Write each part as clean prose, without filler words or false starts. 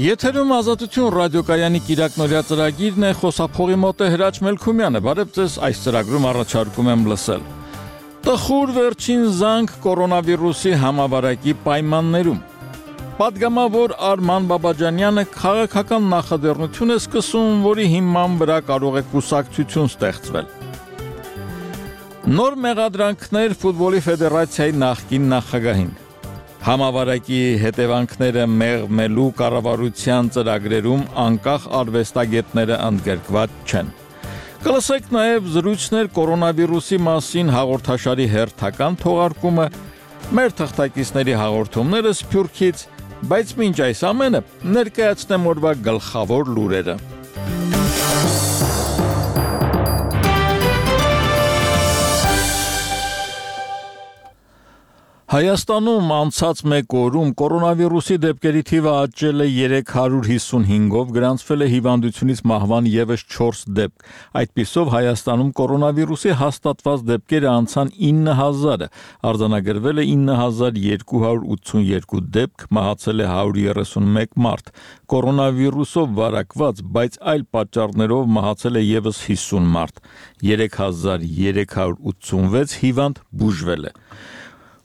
Եթերում Ազատություն ռադիոկայանի կիրակնօրյա ծրագիրն է, խոսափողի մոտ է Հրաչ Մելքումյանը, բարև ձեզ, այս ծրագրում առաջարկում եմ լսել։ Տխուր վերջին զանգ կորոնավիրուսի համավարակի պայմաններում։ Պատգամավոր Արման Բաբաջանյանը քաղաքական նախաձեռնություն է սկսում, որի հիման վրա կարող է կուսակցություն ստեղծվել։ Նոր մեղադրանքներ ֆուտբոլի ֆեդերացիայի նախկին նախագահին։ Համավարակի հետևանքները մեղմելու կառավարության ծրագրերում անկախ արվեստագետները ընդգրկված չեն։ Կլսեք նաև զրույցներ կորոնավիրուսի մասին հաղորդաշարի հերթական թողարկումը, մեր թղթակիցների հաղորդումները Սփյուռքից, բայց մինչ այս ամենը ներկայացնեմ օրվա գլխավոր լուրերը։ Հայաստանում անցած մեկ օրում կորոնավիրուսի դեպքերի թիվը աճել է 355-ով, գրանցվել է հիվանդությունից մահվան ևս 4 դեպք։ Այդպիսով Հայաստանում կորոնավիրուսի հաստատված դեպքերը անցան 9000-ը, արձանագրվել է 9282 դեպք, մահացել է 131 մարդ։ Կորոնավիրուսով վարակված, բայց այլ պատճառներով մահացել է ևս 50 մարդ։ 3386 հիվանդ բուժվել է։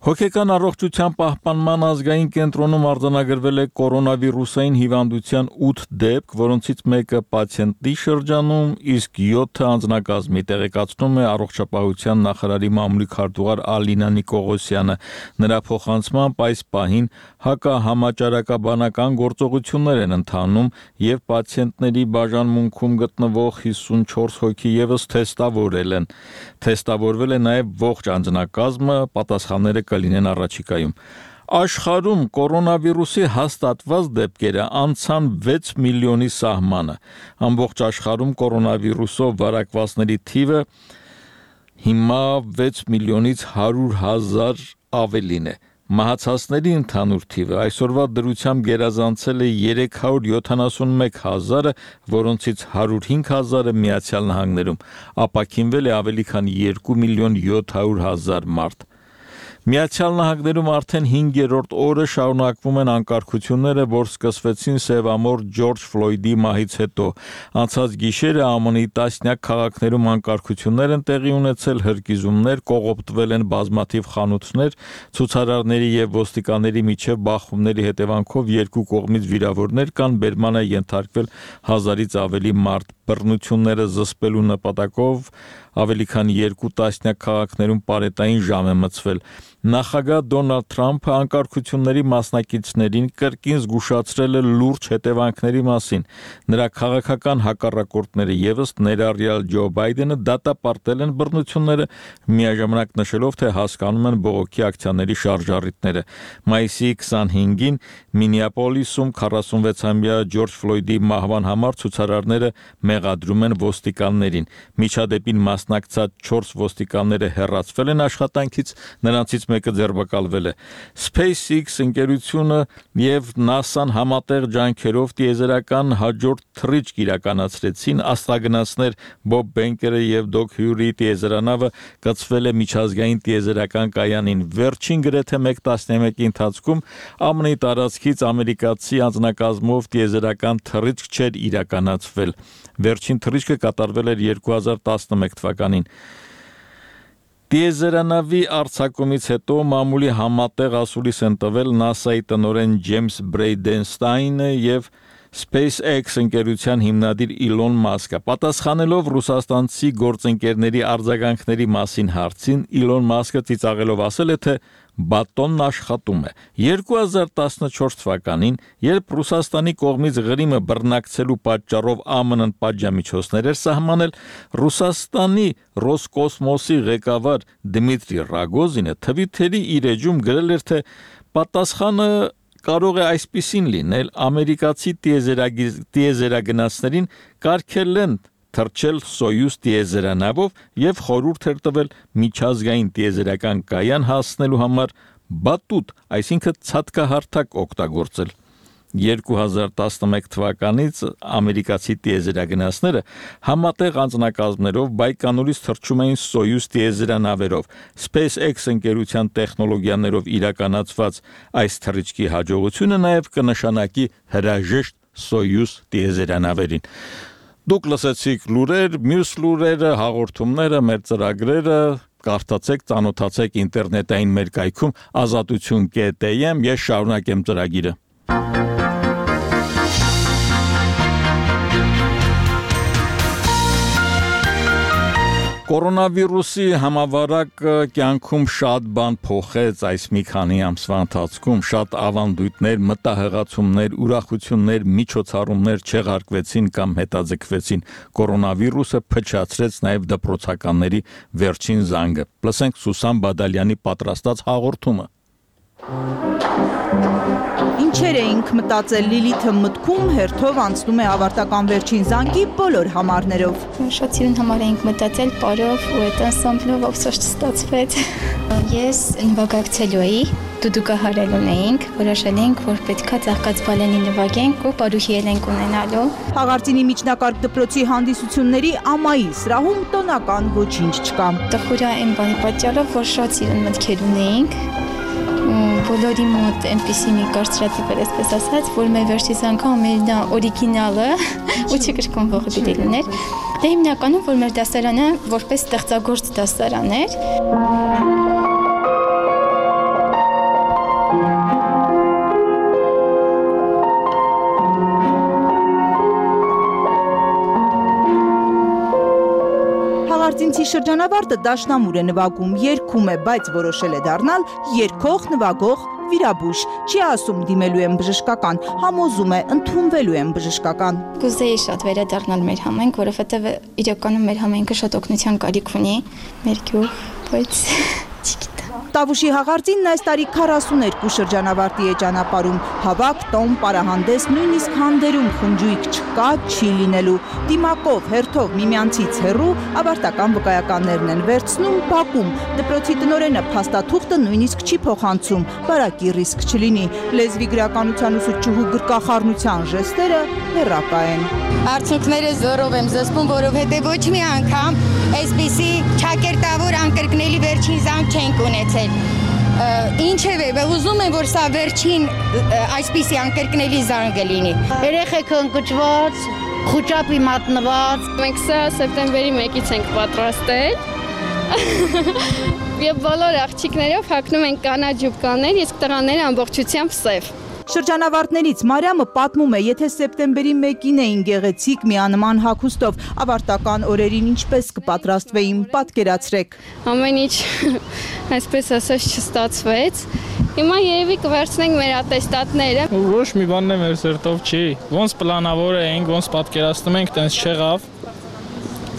Հոգեկան առողջության պահպանման ազգային կենտրոնում արձանագրվել է կորոնավիրուսային հիվանդության 8 դեպք, որոնցից մեկը պացիենտի շրջանում, իսկ 7-ը անձնակազմի, տեղեկացնում է առողջապահության նախարարի մամուլի քարտուղար Ալինա Նիկողոսյանը։ Նրա փոխանցմամբ այս պահին հակահամաճարակաբանական գործողություններ են ընթանում եւ պացիենտների բաժանմունքում գտնվող 54 հոգի եւս թեստավորել են։ Թեստավորվել է նաեւ ողջ անձնակազմը, պատասխանները կլինեն առաջիկայում։ Աշխարհում կորոնավիրուսի հաստատված դեպքերը անցան 6 միլիոնի սահմանը։ Ամբողջ աշխարհում կորոնավիրուսով վարակվածների թիվը հիմա 6 միլիոնից 100,000 ավելին է։ Մահացածների ընդհանուր թիվը այսօրվա դրությամբ գերազանցել է 371,000-ը, որոնցից 105,000-ը Միացյալ Նահանգներում, ապաքինվել է ավելի քան 2 միլիոն 700,000 մարդ։ Միացյալ Նահանգներում արդեն 5-րդ օրը շարունակվում են անկարգությունները, որ սկսվեցին սևամորթ Ջորջ Ֆլոյդի մահից հետո։ Անցած գիշերը ԱՄՆ-ի տասնյակ քաղաքներում անկարգություններ են տեղի ունեցել, հրկիզումներ, կողոպտվել են բազմաթիվ խանութներ, ցուցարարների եւ ոստիկանների միջև բախումների հետևանքով երկու կողմից վիրավորներ կան, բերման է ենթարկվել 1000-ից ավելի մարդ։ Բռնությունները զսպելու նպատակով ավելի քան 2 տասնյակ քաղաքներում պարետային ժամ է մցվել։ Նախագահ Դոնալդ Թրամփը անկարգությունների մասնակիցներին կրկին զգուշացրել է լուրջ հետևանքների մասին։ Նրա քաղաքական հակառակորդները եւս ներառյալ Ջո Բայդենը դատապարտել են բռնությունները, միաժամանակ նշելով, թե հասկանում են բողոքի ակցիաների շարժառիթները։ Մայիսի 25-ին Մինեապոլիսում 46-ամյա Ջորջ Ֆլոյդի մահվան համար ցուցարարները մեղադրում են ոստիկաններին։ Միջադեպին մասնակցած 4 ոստիկանները հեռացվել են աշխատանքից, նրանցից մեկը ձերբակալվել է։ SpaceX ընկերությունը եւ NASA-ն համատեղ ջանքերով տիեզերական հաջորդ թռիչք իրականացրեցին։ Աստղագնացներ Բոբ Բենկերը եւ Դոկ Հյուրի տիեզերանավը կցվել է միջազգային տիեզերական կայանին։ Վերջին գրեթե 1 տասնամյակի ընթացքում ԱՄՆ-ի տարածքից ամերիկացի անձնակազմով տիեզերական թռիչք չէր իրականացվել։ Վերջին թռիչքը կատարվել էր 2011 թվականին։ Տիեզերանավի արձակումից հետո մամուլի համատեղ ասուլիս են տվել NASA-ի տնօրեն Ջեյմս Բրեյդենստայնը եւ SpaceX ընկերության հիմնադիր Իլոն Մասկը։ Պատասխանելով ռուսաստանցի գործընկերների արձագանքների մասին հարցին, Իլոն Մասկը ծիծաղելով ասել է, թե բատոնն աշխատում է։ 2014 թվականին, երբ Ռուսաստանի կողմից Ղրիմը բռնակցելու պատճառով ԱՄՆ-ն պատժամիջոցներ էր սահմանել, Ռուսաստանի Ռոսկոսմոսի ղեկավար Դմիտրի Ռագոզինը Թվիթերի իր էջում գրել էր, թե պատասխանը կարող է այսպիսին լինել. ամերիկացի տիեզերագնացներին կարգել են թռչել Սոյուզ տիեզերանավով եւ խորհուրդ էր տվել միջազգային տիեզերական կայան հասնելու համար բատուտ, այսինքն ցածկահարթակ օգտագործել։ 2011 թվականից ամերիկացի տիեզերագնացները համատեղ անձնակազմներով Բայկոնուրից թռչում էին Սոյուզ տիեզերանավերով։ SpaceX ընկերության տեխնոլոգիաներով իրականացված այս թռիչքի հաջողությունը նաև կնշանակի հրաժեշտ Soyuz տիեզերանավերին։ Դուք լսեցիք լուրեր, մյուս լուրերը, հաղորդումները, մեր ծրագրերը կարդացեք, ծանոթացեք ինտերնետային մեր կայքում azatutun.am, ես շարունակեմ ծրագիրը։ Կորոնավիրուսի համավարակ կյանքում շատ բան փոխեց այս մի քանի ամսվա ընթացքում, շատ ավանդույթներ, մտահղացումներ, ուրախություններ, միջոցառումներ չեղարկվեցին կամ հետաձգվեցին։ Կորոնավիրուսը փչացրեց նաև դպրոցականների վերջին զանգը։ Լսենք Սուսան Բադալյանի պատրաստած հաղորդումը։ Ինչեր էինք մտածել Լիլիթը մտքում հերթով անցնում է ավարտական վերջին զանգի բոլոր համարներով։ Շատ սիրուն համար էինք մտածել պարով ու այդ անսամբլով ափսոս չստացվեց։ Ես նվագակցելու էի, դուդուկահարելուն էինք, որոշել էինք, որ պետքա ծաղկած բալենի նվագենք ու պարուհի ենք ունենալու։ Հաղարծինի միջնակարգ դպրոցի հանդիսությունների ամայի սրահում տոնական ոչինչ չկա։ Տխուրա այն բանի պատճառով, որ շատ սիրուն մտքեր ունեինք, բոլորի մոտ այնպիսի մի կարծրատիպ էր, այսպես ասած, որ մեր վերջից անգամ մեր օրիգինալը ու չկրկնվողը պիտի լիներ։ Դե հիմնականում, որ մեր դասարանը որպես ստեղծագործ դասարան էր։ Հաղարծինցի շրջանավարտը դաշնամուր է նվագում, երգում է, բայց որոշել է դառնալ երգող, նվագող, վիրաբույժ, չի ասում դիմելու եմ բժշկական, համոզում է ընդունվելու եմ բժշկական։ Կուզեի շատ վերադառնալ մեր համայնք, որովհետև իրականում մեր համայնքը շատ օգնության կարիք ունի, մեր գյուղ, բայց չգիտեմ։ Տավուշի Հաղարծինն այս տարի 42 շրջանավարտի է ճանապարհում, հավաք, տոն, պարահանդես, նույնիսկ հանդերում խնջույք չկա, չի լինելու։ Դիմակով, հերթով միմյանցից հեռու ավարտական վկայականներն են վերցնում, բակում։ Դպրոցի տնօրենը փաստաթուղթը նույնիսկ չի փոխանցում, բարակի ռիսկ չլինի։ Լեզվի գրականության ուսուցչուհու գրկախառնության ժեստերը հեռակա են։ Արդյունքները զորով եմ զսպում, որովհետև ոչ մի անգամ այսպիսի ճակերտավոր անկրկնելի վերջին զանգ չենք ունեցել։ Ինչևէ, ուզում եմ, որ սա վերջին այսպիսի անկրկնելի զանգը լինի։ Երեխեքը ընկճված, խուճապի մատնված։ Մենք սա սեպտեմբերի 1-ից ենք պատրաստել։ Եվ բոլոր աղջիկներով հագնում են կանաչ ջուբկաներ, իսկ տղաները ամբողջությամբ սև։ Շրջանավարտներից Մարիամը պատմում է, եթե սեպտեմբերի 1-ին էին գեղեցիկ միանման հագուստով, ավարտական օրերին ինչպես կպատրաստվեին, պատկերացրեք։ Ամեն ինչ այսպես ասած չստացվեց։ Հիմա երևի կվերցնենք մեր ատեստատները։ Ոչ մի բանն է մեր սերտով չի։ Ոնց պլանավոր էինք, ոնց պատկերացնում ենք, տենց չեղավ։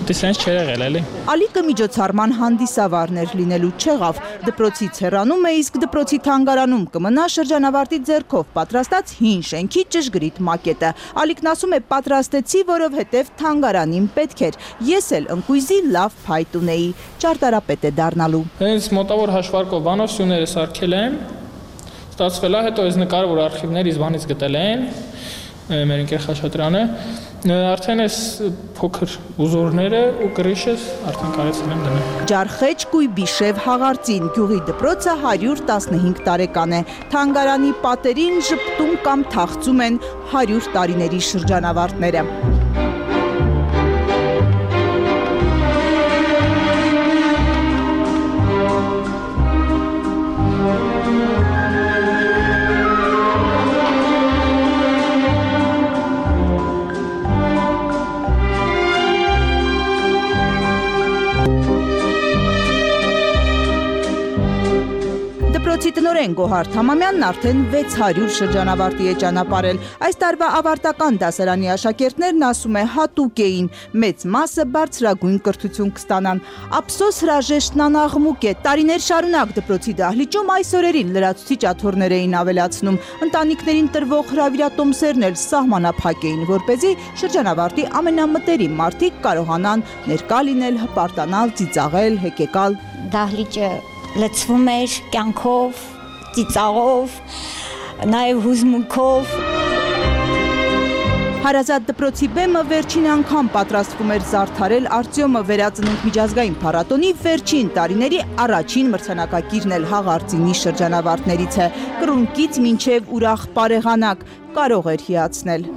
Դիսենց չէր եղել էլի։ Ալիկը միջոցառման հանդիսավարներ լինելու չեղավ, դպրոցից հեռանում է, իսկ դպրոցի թանգարանում կմնա շրջանավարտի ձեռքով պատրաստած հին շենքի ճշգրիտ մակետը։ Ալիկն ասում է պատրաստեցի, որովհետև թանգարանին պետք էր։ Ես էլ ընկույզի լավ փայտ ունեի, ճարտարապետ է դառնալու։ Հենց մոտավոր հաշվարկով բանոսյունները սարքել եմ, ստացվել է, հետո այս նկարը, որ արխիվներից բանից գտել են, մեր ընկեր Խաչատրյանը, արդեն այս փոքր ուզորները ու կրիշս արդեն կարեցել եմ դնել։ Ջարխեջ Կույբիշև Հաղարծին գյուղի դպրոցը 115 տարեկան է։ Թանգարանի պատերին ժպտում կամ թախծում են 100 տարիների շրջանավարտները։ Դպրոցի տնօրեն Գոհար Թամամյանն արդեն 600 շրջանավարտի է ճանապարհել։ Այս տարվա ավարտական դասարանի աշակերտներն ասում է հատուկ էին, մեծ մասը բարձրագույն կրթություն կստանան։ Ափսոս հրաժեշտն անաղմուկ է։ Տարիներ շարունակ դպրոցի դահլիճում այս օրերին լրացուցիչ աթոռներ էին ավելացնում։ Ընտանիքներին տրվող հրավիրատոմսերն էլ սահմանափակ էին, որպեսզի շրջանավարտի ամենամտերիմ մարդիկ կարողանան ներկա լինել, հպարտանալ, ծիծաղել, հեկեկալ։ Դահլիճը լցվում էր կյանքով, ծիծաղով, նաև հուզմունքով։ Հարազատ դպրոցի բեմը վերջին անգամ պատրաստվում էր զարդարել Արտյոմը վերածնունդ միջազգային փառատոնի վերջին տարիների առաջին մրցանակակիրն էլ հաղարծինի շրջանավարտներից է։ Կռունկից մինչև ուրախ պարեղանակ կարող էր հիացնել։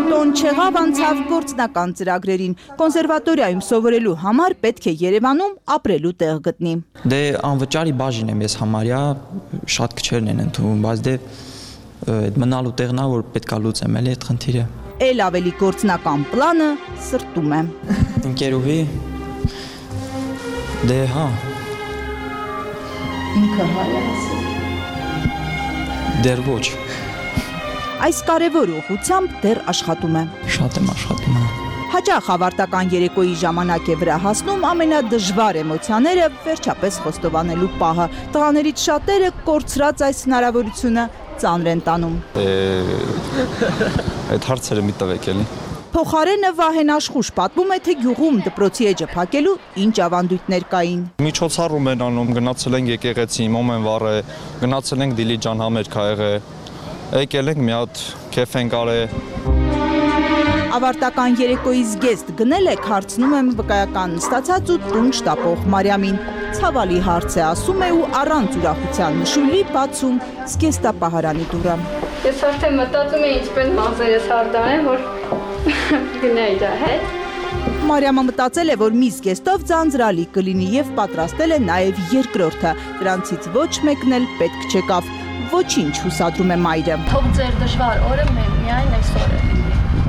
Տոն չեղավ անցավ գործնական ծրագրերին։ Կոնսերվատորիայում սովորելու համար պետք է Երևանում ապրելու տեղ գտնի։ Դե անվճարի բաժին եմ ես համարյա, շատ քչերն են ընդունում, բայց դե այդ մնալու տեղն է, որ պետքա լուծեմ էլի այդ խնդիրը։ Էլ ավելի գործնական պլանը սրտում է։ Ընկերուհի դե հա։ Ինքը հայ է ասել։ Դեռ ոչ։ Այս կարևոր ուղղությամբ դեռ աշխատում է։ Շատ եմ աշխատում։ Հաճախ ավարտական երեկոյի ժամանակ է վրա հասնում ամենադժվար էմոցիաները վերջապես խոստովանելու պահը։ Տղաներից շատերը կորցրած այս հնարավորությունը ծանր են տանում։ Այդ հարցերը մի տվեք էլի։ Փոխարենը Վահեն Աշխուժ պատմում է, թե գյուղում դպրոցի էջը փակելու ինչ ավանդույթներ կային։ Միջոցառում են անում, գնացել ենք եկեղեցի, մոմեն վառե, գնացել ենք Դիլիջան համերգ ա եղել, եկել ենք մի հատ քեֆ ենք արել։ Ավարտական երեկոյի զգեստ գնել եք, հարցնում եմ վկայական ստացած ու տուն շտապող Մարիամին։ Ցավալի հարց է, ասում է ու առանց ուրախության նշույլի բացում զգեստապահարանի դուռը։ Ես արդեն մտածում եմ ինչպես մազերս հարդարեմ, որ գնա իր հետ։ Մարիամը մտածել է, որ մի զգեստով ձանձրալի կլինի եւ պատրաստել է նաեւ երկրորդը։ Դրանցից ոչ մեկն էլ պետք չեկավ։ Ոչինչ, հուսադրում է մայրը։ Թող ձեր դժվար օրը միայն այսօր է։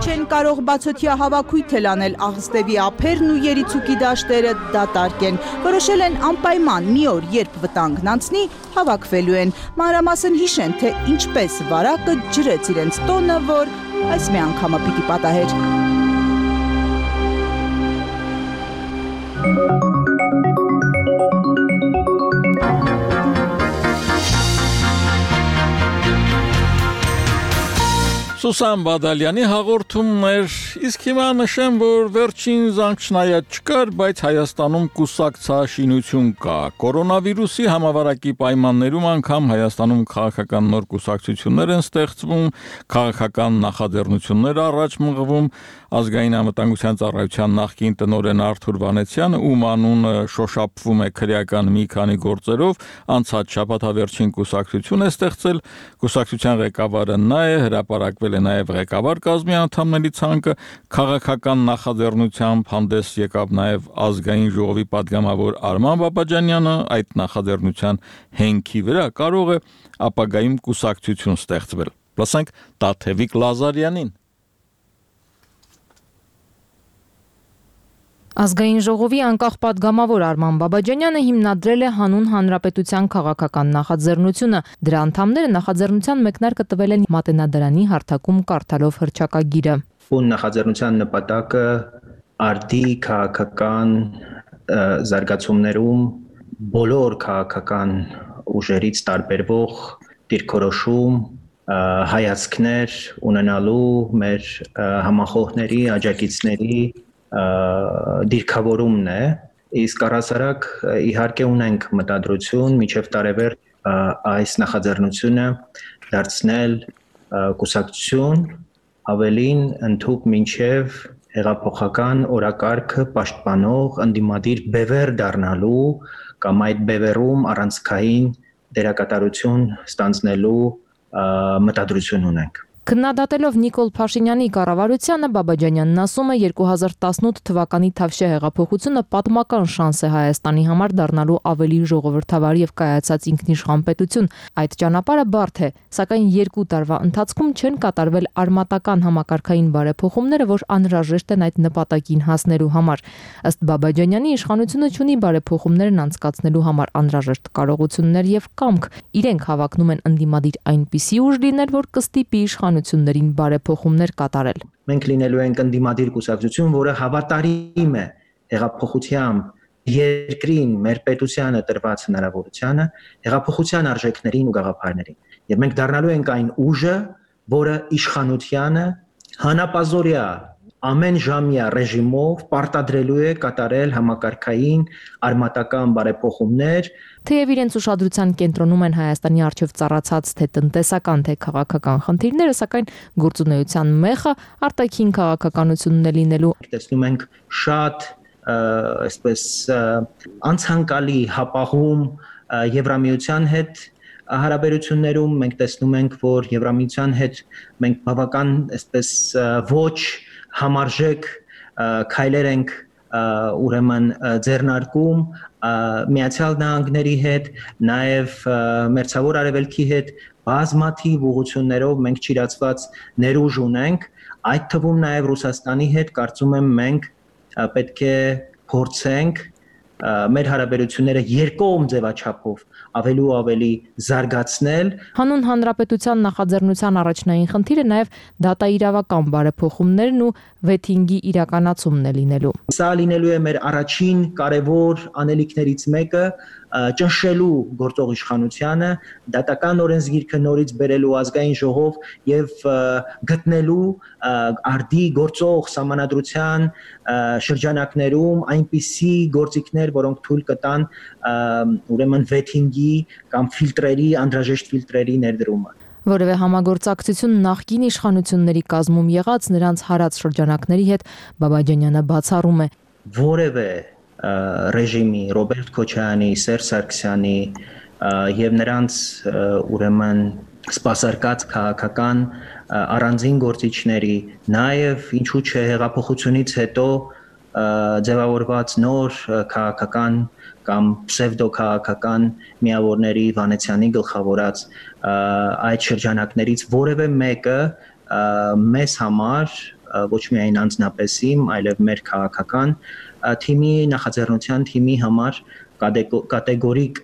Չեն կարող բացօթյա հավաքույթ էլ անել, աղստևի ափերն ու երիցուկի դաշտերը դատարկ են։ Որոշել են անպայման մի օր, երբ վտանգն անցնի, հավաքվելու են։ Մանրամասն հիշեն, թե ինչպես վարակը ջրեց իրենց տոնը, որ այս մի անգամը պիտի պատահեր։ Սուսան Բադալյանի հաղորդումներ, իսկ հիմա նշեմ, որ վերջին զանգ չնայած չկար, բայց Հայաստանում կուսակցաշինություն կա։ Կորոնավիրուսի համավարակի պայմաններում անգամ Հայաստանում քաղաքական նոր կուսակցություններ են ստեղծվում, քաղաքական նախաձեռնություններ առաջ մղվում։ Ազգային անվտանգության ծառայության նախկին տնօրեն Արթուր Վանեցյանը, ում անունը շոշափվում է քրեական մի քանի գործերով, անցած շաբաթավերջին կուսակցություն է ստեղծել։ Կուսակցության ղեկավարը նա է, հրապարակվել է նաև ղեկավար կազմի անդամների ցանկը, քաղաքական նախաձեռնությամբ հանդես եկավ նաև ազգային ժողովի падգամավոր Արման Բաբաջանյանը, այդ նախաձեռնության հենքի վրա կարող է ապագայում կուսակցություն ստեղծվել։ Լսենք Տաթևիկ Լազարյանին։ Ազգային ժողովի անկախ падգամավոր Արման Բաբաջանյանը հիմնադրել է հանուն հանրապետության քաղաքական նախաձեռնությունը։ Դրա անդամները նախաձեռնության մեկնարկը տվել են Մատենադարանի հարթակում կարդալով հռչակագիրը։ Ուն նախաձեռնության նպատակը արդի քաղաքական զարգացումներում բոլոր քաղաքական ուժերից տարբերվող դիրքորոշում հայացքներ ունենալու մեր համախոհների, աջակիցների դիրքավորումն է, իսկ առհասարակ իհարկե ունենք մտադրություն մինչև տարեվերջ այս նախաձեռնությունը դարձնել կուսակցություն, ավելին ընդհուպ մինչև հեղափոխական օրակարգը պաշտպանող ընդդիմադիր բևեռ դառնալու կամ այդ բևեռում առանցքային դերակատարություն ստանձնելու մտադրություն ունենք։ Քննադատելով Նիկոլ Փաշինյանի կառավարությանը, Բաբաջանյանն ասում է 2018 թվականի Թավշյա հեղափոխությունը պատմական շանս է Հայաստանի համար դառնալու ավելի ժողովրդավար եւ կայացած ինքնիշխան պետություն։ Այդ ճանապարհը բարդ է, սակայն 2 տարվա ընթացքում չեն կատարվել արմատական համակարգային բարեփոխումները, որ անհրաժեշտ են այդ նպատակին հասնելու համար։ Ըստ Բաբաջանյանի, իշխանությունը ունի բարեփոխումներն անցկացնելու համար անհրաժեշտ կարողություններ եւ կամք։ Իրենք հավակնում են ընդդիմադիր այնպիսի ուժ լինել, որ կստիպի իշխանություններին բարեփոխումներ կատարել։ Մենք լինելու ենք ընդդիմադիր կուսակցություն, որը հավատարիմ է հեղափոխությամբ երկրին, մեր պետությանը տրված հնարավորությանը, հեղափոխության արժեքներին ու գաղափարներին։ Եվ մենք դառնալու ենք այն ուժը, որը իշխանությանը հանապազորյա ամեն ժամյա ռեժիմով պարտադրելու է կատարել համակարգային արմատական բարեփոխումներ։ Թեև իրենց ուշադրության կենտրոնում են Հայաստանի առջև ծառացած թե տնտեսական, թե քաղաքական խնդիրները, սակայն գործունեության մեխը արտաքին քաղաքականությունն է լինելու։ Տեսնում ենք շատ այսպես անցանկալի հապաղում Եվրամիության հետ հարաբերություններում մենք տեսնում ենք, որ Եվրամիության հետ մենք բավական այսպես ոչ համարժեք քայլեր ենք ուրեմն ձեռնարկում Միացյալ Նահանգների հետ, նաև Մերձավոր Արևելքի հետ բազմաթիվ ուղղություններով մենք ճիրացված ներուժ ունենք, այդ թվում նաև Ռուսաստանի հետ կարծում եմ մենք պետք է փորձենք մեր հարաբերությունները երկկողմ ձևաչափով ավելի ու ավելի զարգացնել։ Հանուն Հանրապետության նախաձեռնության առաջնային խնդիրը նաև դատաիրավական բարեփոխումներն ու վեթինգի իրականացումն է լինելու։ Սա լինելու է մեր առաջին կարևոր անելիքներից մեկը ճնշելու գործող իշխանությանը, դատական օրենսգիրքը նորից բերելու ազգային ժողով եւ գտնելու արդի գործող սահմանադրության շրջանակներում այնպիսի գործիքներ, որոնք թույլ կտան ուրեմն վեթինգի կամ ֆիլտրերի, անհրաժեշտ ֆիլտրերի ներդրումը։ Որևէ համագործակցություն նախկին իշխանությունների կազմում եղած նրանց հարած շրջանակների հետ Բաբաջանյանը բացառում է։ Որևէ ռեժիմի Ռոբերտ Քոչարյանի, Սերժ Սարգսյանի եւ նրանց ուրեմն սպասարկած քաղաքական առանձին գործիչների, նաեւ ինչու՞ չէ հեղափոխությունից հետո ձևավորված նոր քաղաքական կամ պսևդոքաղաքական միավորների Վանեցյանի գլխավորած այդ շրջանակներից որևէ մեկը մեզ համար ոչ միայն անձնապես իմ, այլև մեր քաղաքական թիմի նախաձեռնության թիմի համար կատեգորիկ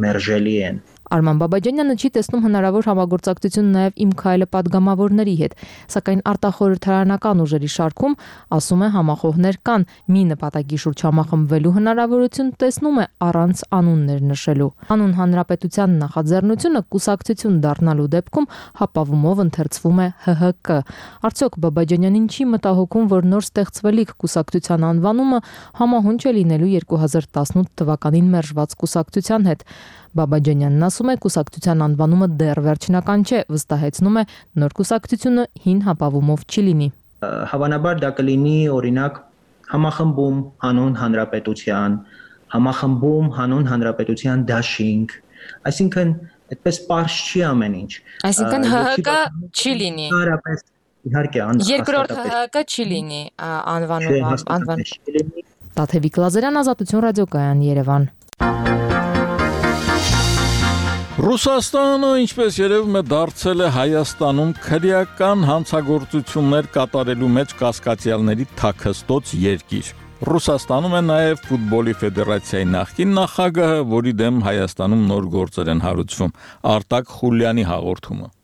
մերժելի են։ Արման Բաբաջանյանը չի տեսնում հնարավոր համագործակցություն նաև Իմ քայլը պատգամավորների հետ, սակայն արտախորհրդարանական ուժերի շարքում, ասում է, համախոհներ կան, մի նպատակի շուրջ համախմբվելու հնարավորություն տեսնում է առանց անուններ նշելու։ Հանուն Հանրապետության նախաձեռնությունը կուսակցություն դառնալու դեպքում հապավումով ընթերցվում է ՀՀԿ։ Արդյոք Բաբաջանյանին չի մտահոգում, որ նոր ստեղծվելիք կուսակցության անվանումը համահունչ է լինելու 2018 թվականին մերժված կուսակցության հետ։ Բաբաջանյանն ասում է, կուսակցության անվանումը դեռ վերջնական չէ, վստահեցնում է, նոր կուսակցությունը հին հապավումով չի լինի։ Հավանաբար դա կլինի օրինակ համախմբում հանուն հանրապետության, համախմբում հանուն հանրապետության դաշինք, այսինքն այդպես պարզ չի ամեն ինչ։ Այսինքն ՀՀԿ չի լինի։ Իհարկե, երկրորդ ՀՀԿ չի լինի անվանում։ Տաթևիկ Լազարյան, Ազատություն ռադիոկայան, Երևան։ Ռուսաստանը, ինչպես երևում է, դարձել է Հայաստանում քրեական հանցագործություններ կատարելու մեջ կասկածյալների թաքստոց երկիր։ Ռուսաստանում է նաև ֆուտբոլի ֆեդերացիայի նախկին նախագահը, որի դեմ Հայաստանում նոր գործեր են հարուցվում։ Արտակ Խուլյանի հաղորդումը։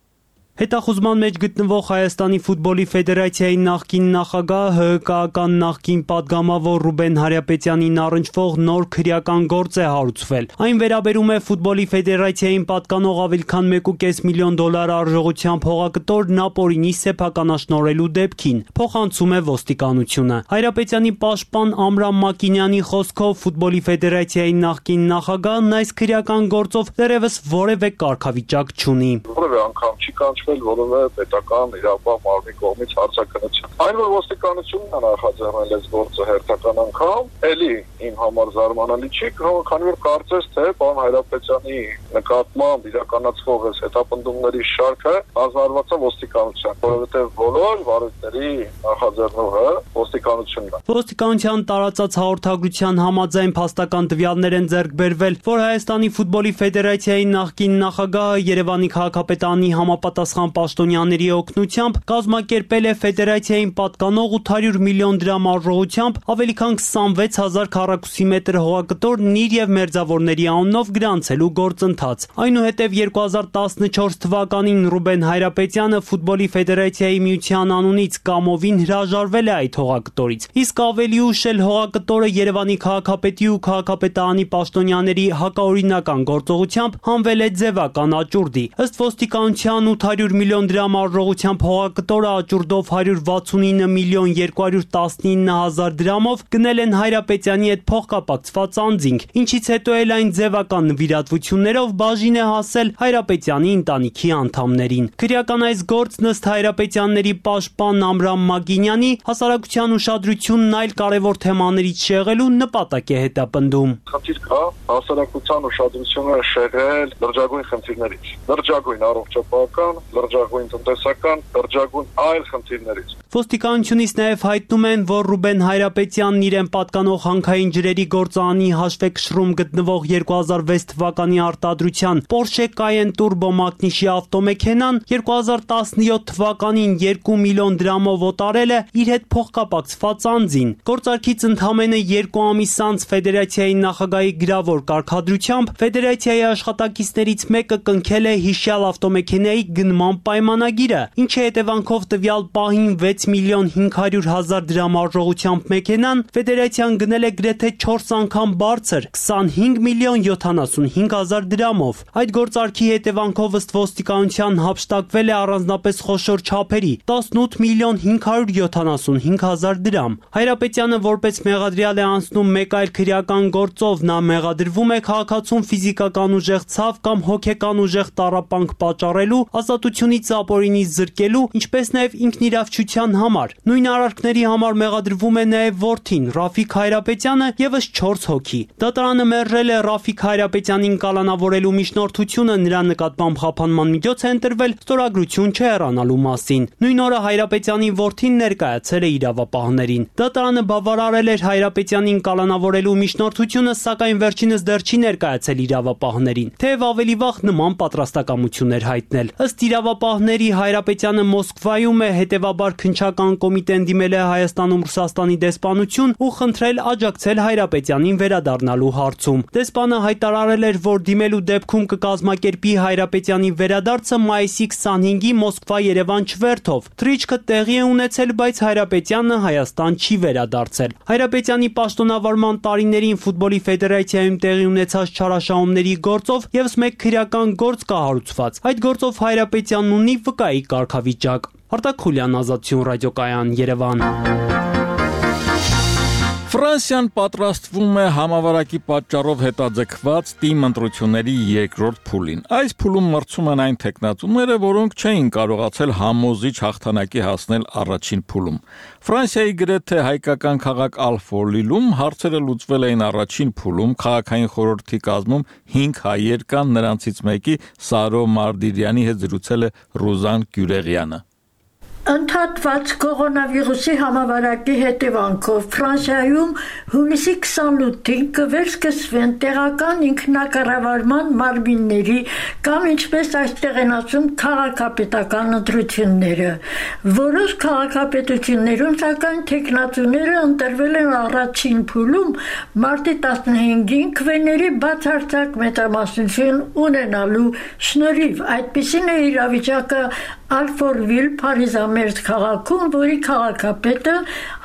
Հետախուզման մեջ գտնվող Հայաստանի ֆուտբոլի ֆեդերացիայի նախկին նախագահ ՀՀԿ-ական նախկին պատգամավոր Ռուբեն Հարապետյանին առնչվող նոր քրեական գործ է հարուցվել։ Այն վերաբերում է ֆուտբոլի ֆեդերացիային պատկանող ավելի քան $1.5 միլիոն արժողությամբ հողակտոր Նապոլինի սեփականաշնորհելու դեպքին, փոխանցում է ոստիկանությունը։ Հարապետյանի պաշտպան Ամրամ Մակինյանի խոսքով ֆուտբոլի ֆեդերացիայի նախկին նախագահն այս քրեական գործով դեռևս որևէ կարգավիճակ չունի։ Որևէ անգամ չի կանչվել որևէ պետական իրավապահ մարմնի կողմից հարցաքննություն։ Այն որ ոստիկանությունն է նախաձեռնել այս գործը հերթական անգամ, էլի իմ համար զարմանալի չի, քանի որ կարծես թե պարոն Հայրապետյանի նկատմամբ իրականացվող այս հետապնդումների շարքը ազնարված է ոստիկանության, որովհետև բոլոր վարույթների նախաձեռնողը ոստիկանությունն է։ Ոստիկանության տարածած հաղորդագրության համաձայն փաստական տվյալներ են ձեռք բերվել, որ Հայաստանի ֆուտբոլի ֆեդերացիայի նախկին նախագահը Երևանի քաղաքապետարանի համապատասխան պաշտոնյաների օգնությամբ կազմակերպել է ֆեդերացիային պատկանող 800 միլիոն դրամ արժողությամբ ավելի քան 26,000 քառակուսի մետր հողակտորն իր եւ մերձավորների անունով գրանցելու գործընթաց։ Այնուհետև 2014 թվականին Ռուբեն Հայրապետյանը ֆուտբոլի ֆեդերացիայի միության անունից կամովին հրաժարվել է այդ հողակտորից։ Իսկ ավելի ուշ էլ հողակտորը Երևանի քաղաքապետի ու քաղաքապետարանի պաշտոնյաների հակաօրինական գործողությամբ հանվել է ձևական աճուրդի։ Ըստ ոստիկանության տոկոսական 800 միլիոն դրամ արժողությամբ հողակտորը աճուրդով 169 միլիոն 219 հազար դրամով գնել են Հայրապետյանի հետ փոխկապակցված անձինք, ինչից հետո էլ այն ձևական նվիրատվություններով բաժին է հասել Հայրապետյանի ընտանիքի անդամներին։ Քրեական այս գործ ըստ Հայրապետյանների պաշտպան Ամրամ Մագինյանի հասարակության ուշադրությունն այլ կարևոր թեմաներից շեղելու նպատակ է հետապնդում։ Խնդիր կա հասարակության ուշադրությունը շեղել լրջագույն խնդիրներից, լրջագույն առողջապահական, լրջագույն տնտեսական, լրջագույն այլ խնդիրներից։ Ոստիկանությունից նաև հայտնում են, որ Ռուբեն Հայրապետյանն իրեն պատկանող հանքային ջրերի գործարանի հաշվեկշռում գտնվող 2006 թվականի արտադրության Porsche Cayenne Turbo մակնիշի ավտոմեքենան 2017 թվականին 2 միլիոն դրամով օտարել է իր հետ փոխկապակցված անձին։ Գործարքից ընդամենը 2 ամիս անց ֆեդերացիայի նախագահի գրավոր կարգադրությամբ ֆեդերացիայի աշխատակիցներից մեկը կնքել է հիշյալ ավտոմեքենայի գնման պայմանագիրը, ինչի հետևանքով տվյալ պահին 6 միլիոն 500 հազար դրամ արժողությամբ մեքենան ֆեդերացիան գնել է գրեթե 4 անգամ բարձր 25 միլիոն 75 հազար դրամով։ Այդ գործարքի հետևանքով ըստ ոստիկանության հափշտակվել է առանձնապես խոշոր չափերի 18 միլիոն 575 հազար դրամ։ Հայրապետյանը որպես մեղադրյալ է անցնում մեկ այլ քրեական գործով, նա մեղադրվում է քաղաքացուն ֆիզիկական ուժեղ ցավ կամ հոգեկան ուժեղ տառապանք պատճառելու, ազատությունից ապօրինի զրկելու, ինչպես նաև ինքնիրավչության համար։ Նույն արարքների համար մեղադրվում է նաև որդին Ռաֆիկ Հայրապետյանը եւս 4 հոգի։ Դատարանը մերժել է Ռաֆիկ Հայրապետյանին կալանավորելու միջնորդությունը, նրա նկատմամբ խափանման միջոց է ընտրվել ստորագրություն չհեռանալու մասին։ Նույն օրը Հայրապետյանի որդին ներկայացել է իրավապահներին։ Դատարանը բավարարել էր Հայրապետյանին կալանավորելու միջնորդությունը, սակայն վերջինս դեռ չի ներկայացել իրավապահներին, թեև ավելի վաղ նման պատրաստակամություն էր հայտնել։ Ըստ իրավապահների Հայրապետյանը Մոսկվայում է, հետևաբար քննչական կոմիտեն դիմել է Հայաստանում Ռուսաստանի դեսպանություն ու խնդրել աջակցել Հայրապետյանին վերադառնալու հարցում։ Դեսպանը հայտարարել էր, որ դիմելու դեպքում կկազմակերպի Հայրապետյանի վերադարձը մայիսի 25-ի Մոսկվա-Երևան չվերթով։ Թռիչքը տեղի է ունեցել, բայց Հայրապետյանը Հայաստան չի վերադարձել։ Հայրապետյանի պաշտոնավարման տարիներին ֆուտբոլի ֆեդերացիայում տեղի ունեցած չարաշահումների գործով եւս մեկ քրեական գործ կա հարուցված։ Այդ գործով Հայրապետյանն ունի վկայի կարգավիճակ։ Արտակ Խուլյան, Ազատություն ռադիոկայան, Երևան։ Ֆրանսիան պատրաստվում է համավարակի պատճառով հետաձգված թիմ ընտրությունների երկրորդ փուլին։ Այս փուլում մրցում են այն տեխնատուները, որոնք չէին կարողացել համոզիչ հաղթանակի հասնել առաջին փուլում։ Ֆրանսիայի գրեթե հայկական քաղաք Ալֆոլիլում հարցերը լուծվել էին առաջին փուլում, քաղաքային խորհրդի կազմում 5 հայեր կան, նրանցից մեկի Սարո Մարդիրյանի հետ զրուցել է Ռուզան Գյուրեղյանը։ Ընդհատված կորոնավիրուսի համավարակի հետևանքով Ֆրանսիայում հունիսի 28-ին կվերսկսվեն տեղական ինքնակառավարման մարմինների կամ ինչպես այստեղ են ասում քաղաքապետական ընտրությունները։ Որոշ քաղաքապետություններում սակայն տեխնատուները ընտրվել են առաջին փուլում մարտի 15-ին քվեների բացարձակ մեծամասնություն ունենալու շնորհիվ։ Այդպիսին է իրավիճակը Ալֆորվիլ Փարիզամերձ քաղաքում, որի քաղաքապետը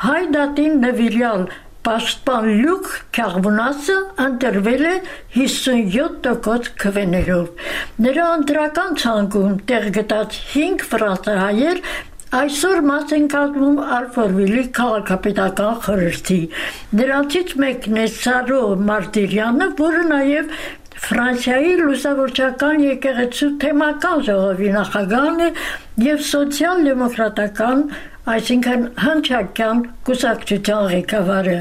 հայ դատին նվիրյալ պաշտպան Լյուկ Քյաղվունասը ընտրվել է 57% քվեներով։ Նրա ընտրական ցանկում տեղ գտած 5 ֆրանսահայեր այսօր մաս են կազմում Ալֆորվիլի քաղաքապետական խորհրդի։ Նրանցից մեկն է Սարո Մարտիրյանը, որը նաև Ֆրանսիայի լուսավորչական եկեղեցու թեմական ժողովի նախագահն է եւ սոցիալ-դեմոկրատական, այսինքն հնչակյան կուսակցության ղեկավարը։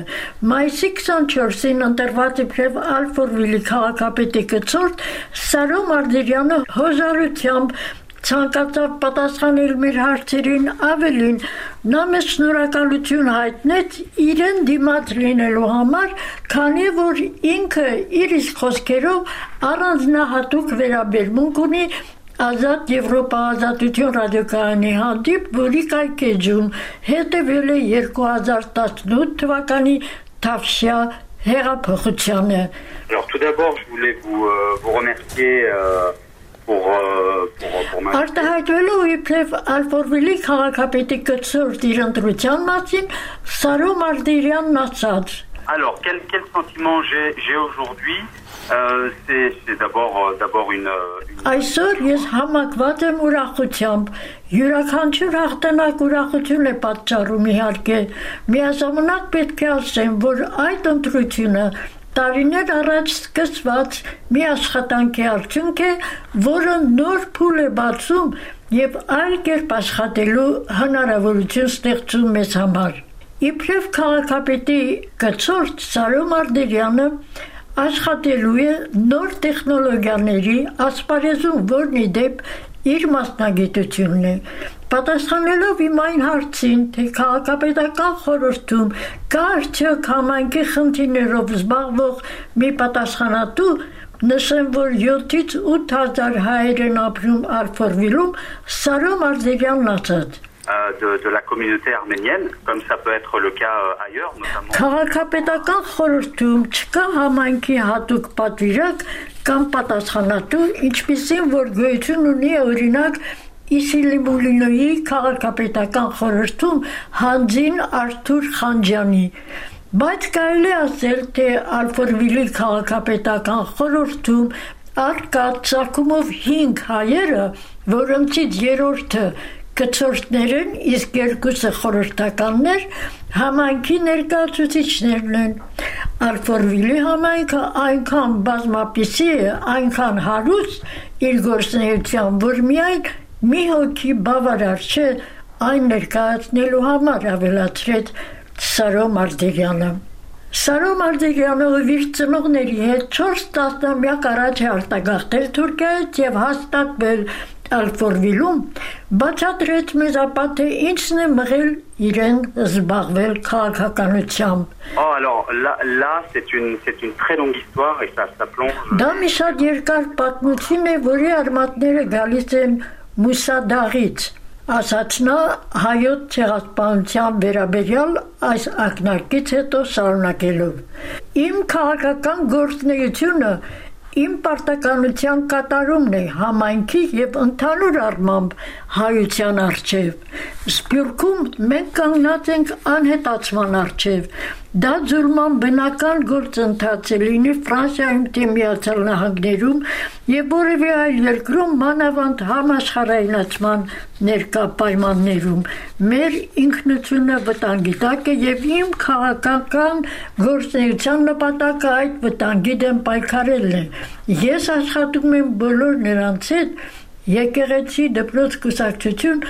Մայիսի 24-ին ընտրված իբրև Ալֆորվիլի քաղաքապետի կցորդ Սարո Մարտիրյանը հոժարությամբ ցանկացավ պատասխանել մեր հարցերին, ավելին նա մեզ շնորհակալություն հայտնեց իրեն դիմաց լինելու համար, քանի որ ինքը իր իսկ խոսքերով առանձնահատուկ վերաբերմունք ունի Ազատ Եվրոպա ազատություն ռադիոկայանի հանդիպ, որի կայքեջում հետևել է 2018 թվականի Թավշյա հեղափոխությանը։ Alors tout d'abord, je voulais vous remercier Արտահայտվելու իբրև Ալֆորվիլի քաղաքապետի կցորդ իր ընտրության մասին Սարո Մարտիրյանն ասաց. Alors, quel sentiment j'ai aujourd'hui c'est d'abord une... Այսօր ես համակված եմ ուրախությամբ, յուրաքանչյուր հաղթանակ ուրախություն է պատճառում իհարկե, միաժամանակ պետք է ասեմ, որ այդ ընտրությունը տարիներ առաջ սկսված մի աշխատանքի արդյունք է, որը նոր փուլ է բացում եւ այլ կերպ աշխատելու հնարավորություն ստեղծում մեզ համար։ Իբրև քաղաքապետի գծորդ Սարո Մարտիրյանը աշխատելու է նոր տեխնոլոգիաների ասպարեզում, որն ի դեպ իր մասնագիտությունն է։ Պատասխանելով իմ այն հարցին, թե քաղաքապետական խորհրդում կա արդյոք համայնքի խնդիրներով զբաղվող մի պատասխանատու, նշեմ, որ 7-ից 8 հազար հայեր են ապրում Ալֆորվիլում, Սարո Մարտիրյանն ասաց. De la communauté arménienne, comme ça peut être le cas ailleurs, notamment. Քաղաքապետական խորհրդում չկա համայնքի հատուկ պատվիրակ կամ պատասխանատու, ինչպիսին որ գոյություն ունի օրինակ Իսիլիմուլինոյի քաղաքապետական խորհրդում Հանձին Արթուր Խանջյանի։ Բայց կարելի է ասել, թե Ալֆորվիլի քաղաքապետական խորհրդում առկա ծագումով 5 հայերը, որոնցից երրորդը կցորդներ են, իսկ երկուսը խորհրդականներ, համայնքի ներկայացուցիչներն են։ Ալֆորվիլի համայնքը այնքան բազմապիսի է, այնքան հարուստ իր գործունեությամբ, որ միայն մի հոգի բավարար չէ այն ներկայացնելու համար, ավելացրեց Սարո Մարտիրյանը։ Սարո Մարտիրյանը ով իր ծնողների հետ 4 տասնամյակ առաջ է արտագաղթել Թուրքիայից եւ հաստատվել Ալֆորվիլում, բացատրեց մեզ ապա, թե ինչն է մղել իրեն զբաղվել քաղաքականությամբ։ Alors là c'est une très longue histoire et ça plonge. Դա մի շատ երկար պատմություն է, որի արմատները գալիս են Մուսադաղից, ասաց նա հայոց ցեղասպանության վերաբերյալ այս ակնարկից հետո շարունակելով։ Իմ քաղաքական գործունեությունը իմ պարտականության կատարումն է համայնքի եւ ընդհանուր առմամբ հայության առջև։ Սփյուռքում մենք կանգնած ենք անհետացման առջև։ Դա ձուլման բնական գործընթաց է լինի Ֆրանսիայում, թե Միացյալ Նահանգներում եւ որևէ այլ երկրում, մանավանդ համաշխարհայնացման ներկա պայմաններում։ Մեր ինքնությունը վտանգի տակ է եւ իմ քաղաքական գործունեության նպատակը այդ վտանգի դեմ պայքարելն է։ Ես աշխատում եմ բոլոր նրանց հետ, եկեղեցի, դպրոց, կուսակցություն,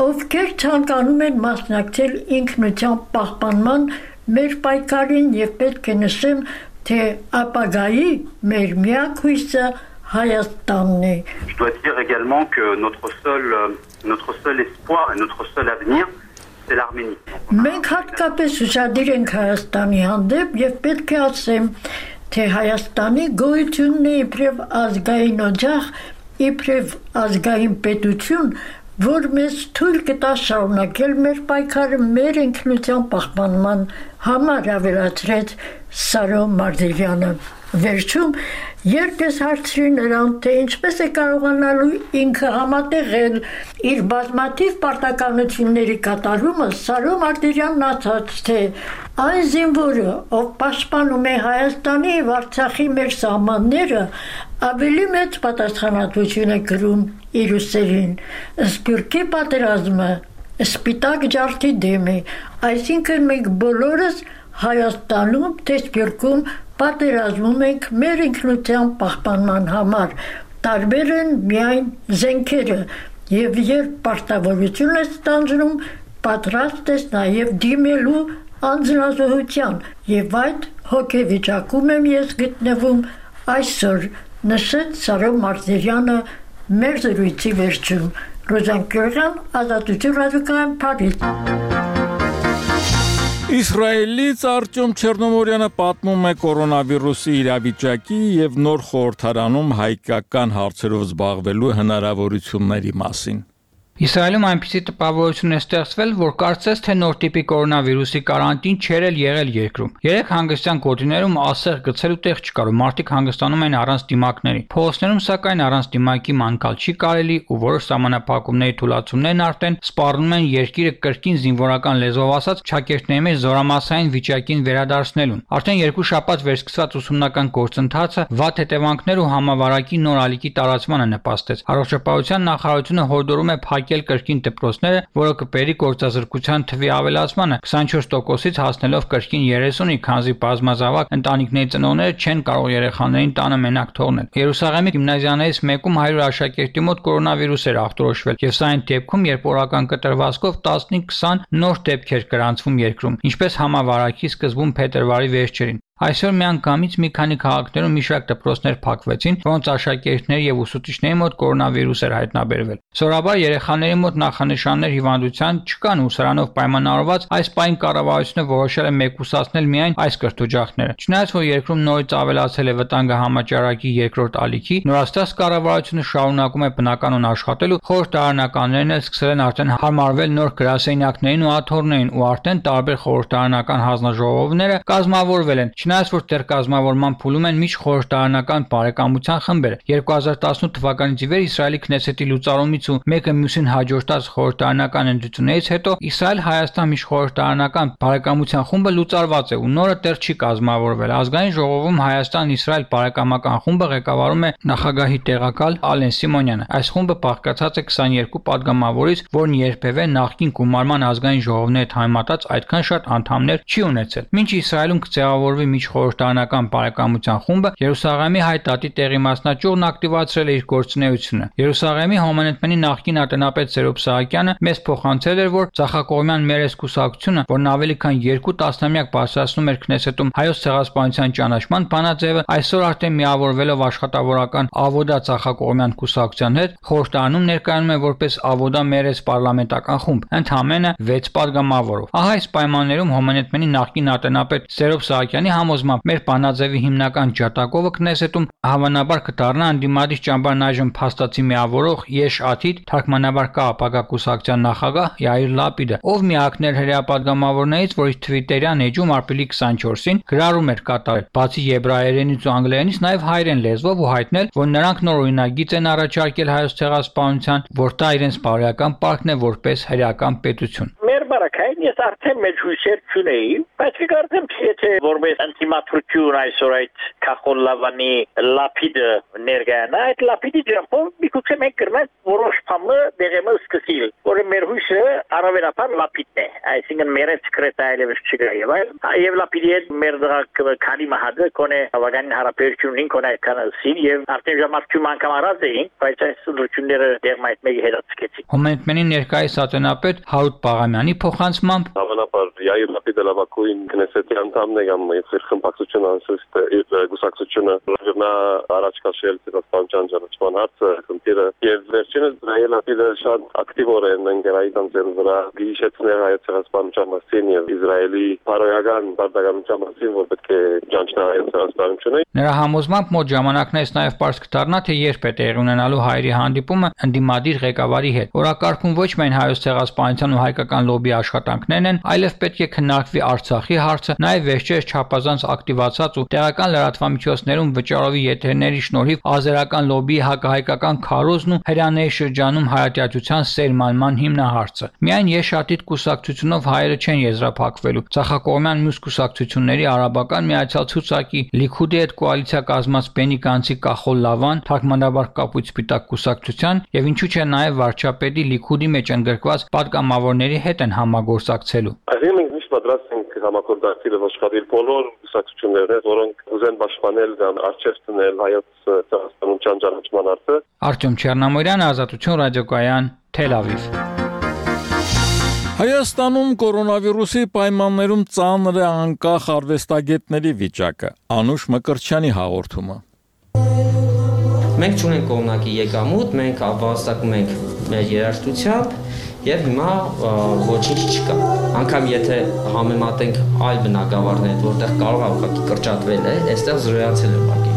ովքեր ցանկանում են մասնակցել ինքնության պահպանման մեր պայքարին եւ պետք է նշեմ, թե ապագայի մեր միակ հույսը Հայաստանն է։ Je dois dire également que notre seul espoir et notre seul avenir c'est l'Arménie. Մենք հատկապես ուշադիր ենք Հայաստանի հանդեպ եւ պետք է ասեմ, թե Հայաստանի գոյությունն է իբրև ազգային օջախ, իբրև ազգային պետություն, որ մեզ թույլ կտա շարունակել մեր պայքարը մեր ինքնության պահպանման համար, ավելացրեց Սարո Մարտիրյանը։ Վերջում, երբ ես հարցրի նրան, թե ինչպես է կարողանալու ինքը համատեղել իր բազմաթիվ պարտականությունների կատարումը, Սարո Մարտիրյանն ասաց, թե այն զինվորը, ով պաշտպանում է Հայաստանի եւ Արցախի մեր սահմանները, ավելի մեծ պատասխանատվություն է կրում իր ուսերին։ Սփյուռքի պատերազմը սպիտակ ջարդի դեմ է, այսինքն մենք բոլորս Հայաստանում, թե Սփյուռքում պատերազմում ենք մեր ինքնության պահպանման համար, տարբեր են միայն զենքերը, եւ երբ պարտավորություն ես ստանձնում, պատրաստ ես նաեւ դիմելու անձնազոհության, եւ այդ հոգեվիճակում եմ ես գտնվում այսօր, նշեց Սարո Մարտիրյանը մեր զրույցի վերջում։ Ռոզան Գյուրյան, Ազատություն ռադիոկայան, Փարիզ։ Իսրայելից Արտյոմ Չեռնոմորյանը պատմում է կորոնավիրուսի իրավիճակի եւ նոր խորհրդարանում հայկական հարցերով զբաղվելու հնարավորությունների մասին։ Իսրայելում այնպիսի տպավորություն է ստեղծվել, որ կարծես թե նոր տիպի կորոնավիրուսի կարանտին չէր եղել երկրում։ Երեք հանգստյան գոտիներում ասեղ գցելու տեղ չկար ու մարդիկ հանգստանում են առանց դիմակների։ Փողոցներում սակայն առանց դիմակի մանկալ չի կարելի ու որոշ սահմանափակումների թույլատվություններն արդեն սպառնում են երկիրը կրկին զինվորական լեզվով ասած ճակերտների մեջ զորամասային վիճակին վերադարձնելուն։ Արդեն 2 շաբաթ վերսկսված ուսումնական գործընթացը վատ հետևանքներ ու համավարակի նոր ալիքի տարածմանը նպաստեց։ Առողջապահության նախարարությունը հորդորում է փակել կրկին դպրոցները, որը կբերի գործազրկության թվի ավելացմանը 24%-ից հասնելով կրկին 30-ի, քանզի բազմազավակ ընտանիքների ծնողները չեն կարող երեխաներին տանը մենակ թողնել։ Երուսաղեմի գիմնազիաներից մեկում 100 աշակերտի մոտ կորոնավիրուս էր ախտորոշվել, եւ սա այն դեպքում, երբ օրական կտրվածքով 15-20 նոր դեպք էր գրանցվում երկրում, ինչպես համավարակի սկզբում փետրվարի վերջերին։ Այսօր միանգամից մի քանի քաղաքներում մի շարք դպրոցներ փակվեցին, որոնց աշակերտների եւ ուսուցիչների մոտ կորոնավիրուս էր հայտնաբերվել։ Սովորաբար երեխաների մոտ նախանշաններ հիվանդության չկան ու սրանով պայմանավորված այս պահին կառավարությունը որոշել է մեկուսացնել միայն այս կրթօջախները։ Չնայած որ երկրում նորից ավելացել է վտանգը համաճարակի երկրորդ ալիքի, նորաստեղծ կառավարությունը շարունակում է բնականon աշխատել ու խորհրդարանականներն էլ սկսել են արդեն հարմարվել նոր գրասենյակներին ու աթոռներին ու արդեն տարբեր խորհրդարանական հանձնաժողովները կազմավորվել են։ Չնայած որ դեռ կազմավորման փուլում են միջխորհրդարանական բարեկամության խմբերը։ 2018 թվականից ի վեր Իսրայելի Քնեսեթի լուծարումից ու մեկը մյուսին հաջորդած խորհրդարանական ընտրություններից հետո Իսրայել-Հայաստան միջխորհրդարանական բարեկամության խումբը լուծարված է ու նորը դեռ չի կազմավորվել։ Ազգային ժողովում Հայաստան-Իսրայել բարեկամական խումբը ղեկավարում է նախագահի տեղակալ Ալեն Սիմոնյանը։ Այս խումբը բաղկացած է 22 падգամավորից, որն երբևէ նախկին գումարման ազգային ժողովների հետ համեմատած այդքան շատ անդամներ չի ունեցել։ Մինչ Իսրայելում կձևավորվի միջխորհրդարանական բարեկամության խումբը, Երուսաղեմի հայ տատի տեղի մասնաճյուղն ակտիվացրել է իր գործունեությունը։ Երուսաղեմի Հոմանետմենի նախկին ատնապետ Սերոբ Սահակյանը մեզ փոխանցել էր, որ Ծախակողմյան Մերես կուսակցությունը, որն ավելի քան 2 տասնամյակ բարձրացնում էր Քնեսետում հայոց ցեղասպանության ճանաչման բանաձևը, այսօր արդեն միավորվելով աշխատավորական Ավոդա Ծախակողմյան կուսակցության հետ, խորհրդարանում ներկայանում է որպես Ավոդա Մերես պարլամենտական խումբ, ընդամենը 6 падգամավորով։ Ահա այս պայմաններում Հոմանետմենի նախկին ատնապետ Սերոբ Սահակյանի համոզմամբ մեր բանաձևի հիմնական ջատագովը Քնեսետում հավանաբար կդառնա անդիմադիր ճամբարն այժմ փաստացի միավորող Եշ Աթիդ թարգմանաբար կա ապագա կուսակցության նախագահ Յայիր Լապիդը, ով միակներ հրեա падգամավորներից, որ իր թվիտերյան էջում ապրիլի 24-ին գրառում էր կատարել, բացի եբրայերենից ու անգլերենից նաև հայերեն լեզվով ու հայտնել, որ նրանք նոր օրինագիծ են առաջարկել հայոց ցեղասպանության, որ դա իրենց բարոյական պարտքն է որպես հրեական պետություն։ Մեր բարակային ես արդեն մեջ հույսեր չունեի, բայց կարծեմ թե որպես անտիմատրություն այսօր այդ Քախոլ-Լավանի Լապիդը ներկայանա, այդ Լապիդի ջրամփով միգուցե մենք կրնանք որոշ բանը դեղեմը սկսել, որը մեր հույսը առավելապար Լապիդն է, այսինքն մեր սկրետը այլևս չկա եւ Լապիդի հետ մեր դրակ քանի մահադը կոնե հավանական հարաբերությունին կոնե կանասին եւ արդեն ժամանակում անգամ առած էին, բայց այս սուլությունները դեռ այդ մեկի հետացկեցին։ Հոմանետմենի ներկայիս ատենապետ Հարութ Պաղամյանի փոխանցմամբ հավանաբար Յայիր Լապիդը լավակույն Քնեսեթի անդամն է կամ իր խմբակցությունը անսուստ իր գուսակցությունը նա առաջ քաշել ցեղասպանության ճանաչման հարցը քննիրը եւ վերջինս Լապիդը շատ ակտիվորը ընկերայական ձեռը վրա գիշեցնել հայոց ցեղասպանության մասին եւ Իսրայելի բարոյական բարդականության մասին, որ պետք է ճանաչնա հայոց ցեղասպանությունը։ Նրա համոզմամբ մոտ ժամանակներից նաև պարզ կդառնա, թե երբ է տեղի ունենալու հայերի հանդիպումը ընդդիմադիր ղեկավարի հետ։ Օրակարգում ոչ միայն հայոց ցեղասպանության ու հայկական լոբի աշխատանքներն են, այլև պետք է քննարկվի Արցախի հարցը, նաև վերջերս չափազանց ակտիվացած ու տեղական լրատվամիջոցներում վճարովի եթերների շնորհիվ ազերական լոբիի հակահայկական քարոզն ու հրյաների շրջանում հայատյացության սերմանման հիմնահարցը։ Միայն Եշ-Աթիդ կուսակցությունով հայերը չեն եզրափակվելու։ Ծախակողմյան մյուս կուսակցությունների արաբական միացյալ ցուցակի Լիքուդի հետ կոալիցիա կազմած Բենի Գանցի Կախոլ-Լավան, թարգմանաբար Կապույտ Սպիտակ կուսակցության եւ ինչու՞ չէ նաև վարչապետի Լիքուդի մեջ ընդգրկված պատգամավորների հետ են համագործակցելու։ Այսինքն մենք միշտ պատրաստ ենք համագործակցել աշխատել բոլոր կուսակցությունները, որոնք ուզեն պաշտպանել կամ արժեք տնել հայոց ցեղասպանության ճանաչման հարցը։ Արտյոմ Չեռնամորյան, Ազատություն ռադիոկայան, Թել Ավիվ։ Հայաստանում կորոնավիրուսի պայմաններում ծանր է անկախ արվեստագետների վիճակը։ Անուշ Մկրտչյանի հաղորդումը։ Մենք չունենք կողմնակի եկամուտ, մենք ապահովստակում ենք մեր երաժշտությամբ եւ հիմա ոչինչ չկա։ Անկամ եթե համեմատենք այլ բնակավարներ, որտեղ կարող է ուղղակի կրճատվել է, այստեղ զրոյացել է ուղղակի։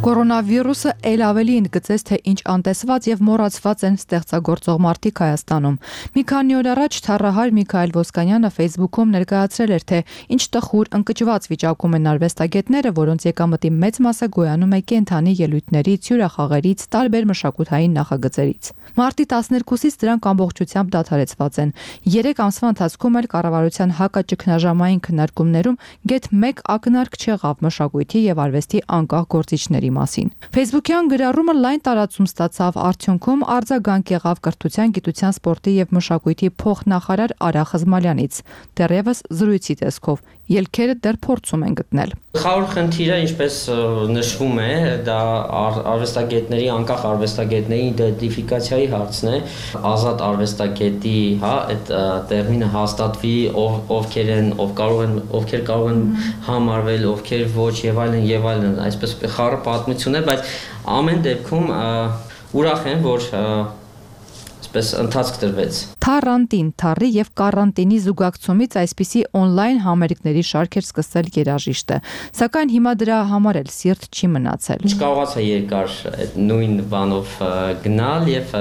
Կորոնավիրուսը ել ավելի ընդգծեց, թե ինչ անտեսված եւ մոռացված են ստեղծագործող մարդիկ Հայաստանում։ Մի քանի օր առաջ Թառահար Միքայել Ոսկանյանը Facebook-ում ներկայացրել էր, թե ինչ տխուր ընկճված վիճակում են արվեստագետները, որոնց եկամտի մեծ մասը գոյանում է կենդանի ելույթներից, հյուրախաղերից, տարբեր մշակութային նախագծերից։ Մարտի 12-ից դրանք ամբողջությամբ դադարեցված են։ 3 ամսվա ընթացքում էլ կառավարության հակաճգնաժամային քննարկումներում գեթ 1 ակնարկ չեղավ մշակույթի եւ արվեստի անկախ գործիչների մասին։ Facebook-յան գրառումը լայն տարածում ստացավ, արդյունքում արձագանք եղավ կրթության, գիտության, սպորտի եւ մշակույթի փոխնախարար Արա Խզմալյանից։ Դեռևս զրույցի տեսքով ելքերը դեռ փորձում են գտնել։ Խաղաղ խնդիրը, ինչպես նշվում է, դա արվեստագետների, անկախ արվեստագետների իդենտիֆիկացիայի հարցն է, ազատ արվեստագետի, այդ տերմինը հաստատվի, ովքեր կարող են համարվել, ովքեր ոչ եւ այլն, այսպես խառը պատմություն է, բայց ամեն դեպքում ուրախ եմ, որ ընթացք տրվեց։ Թառանտին, թառի եւ կարանտինի զուգակցումից այսպիսի on-line համերգների շարք էր սկսել երաժիշտը, սակայն հիմա դրա համար էլ սիրտ չի մնացել։ Չկարողացա երկար այդ նույն բանով գնալ եւ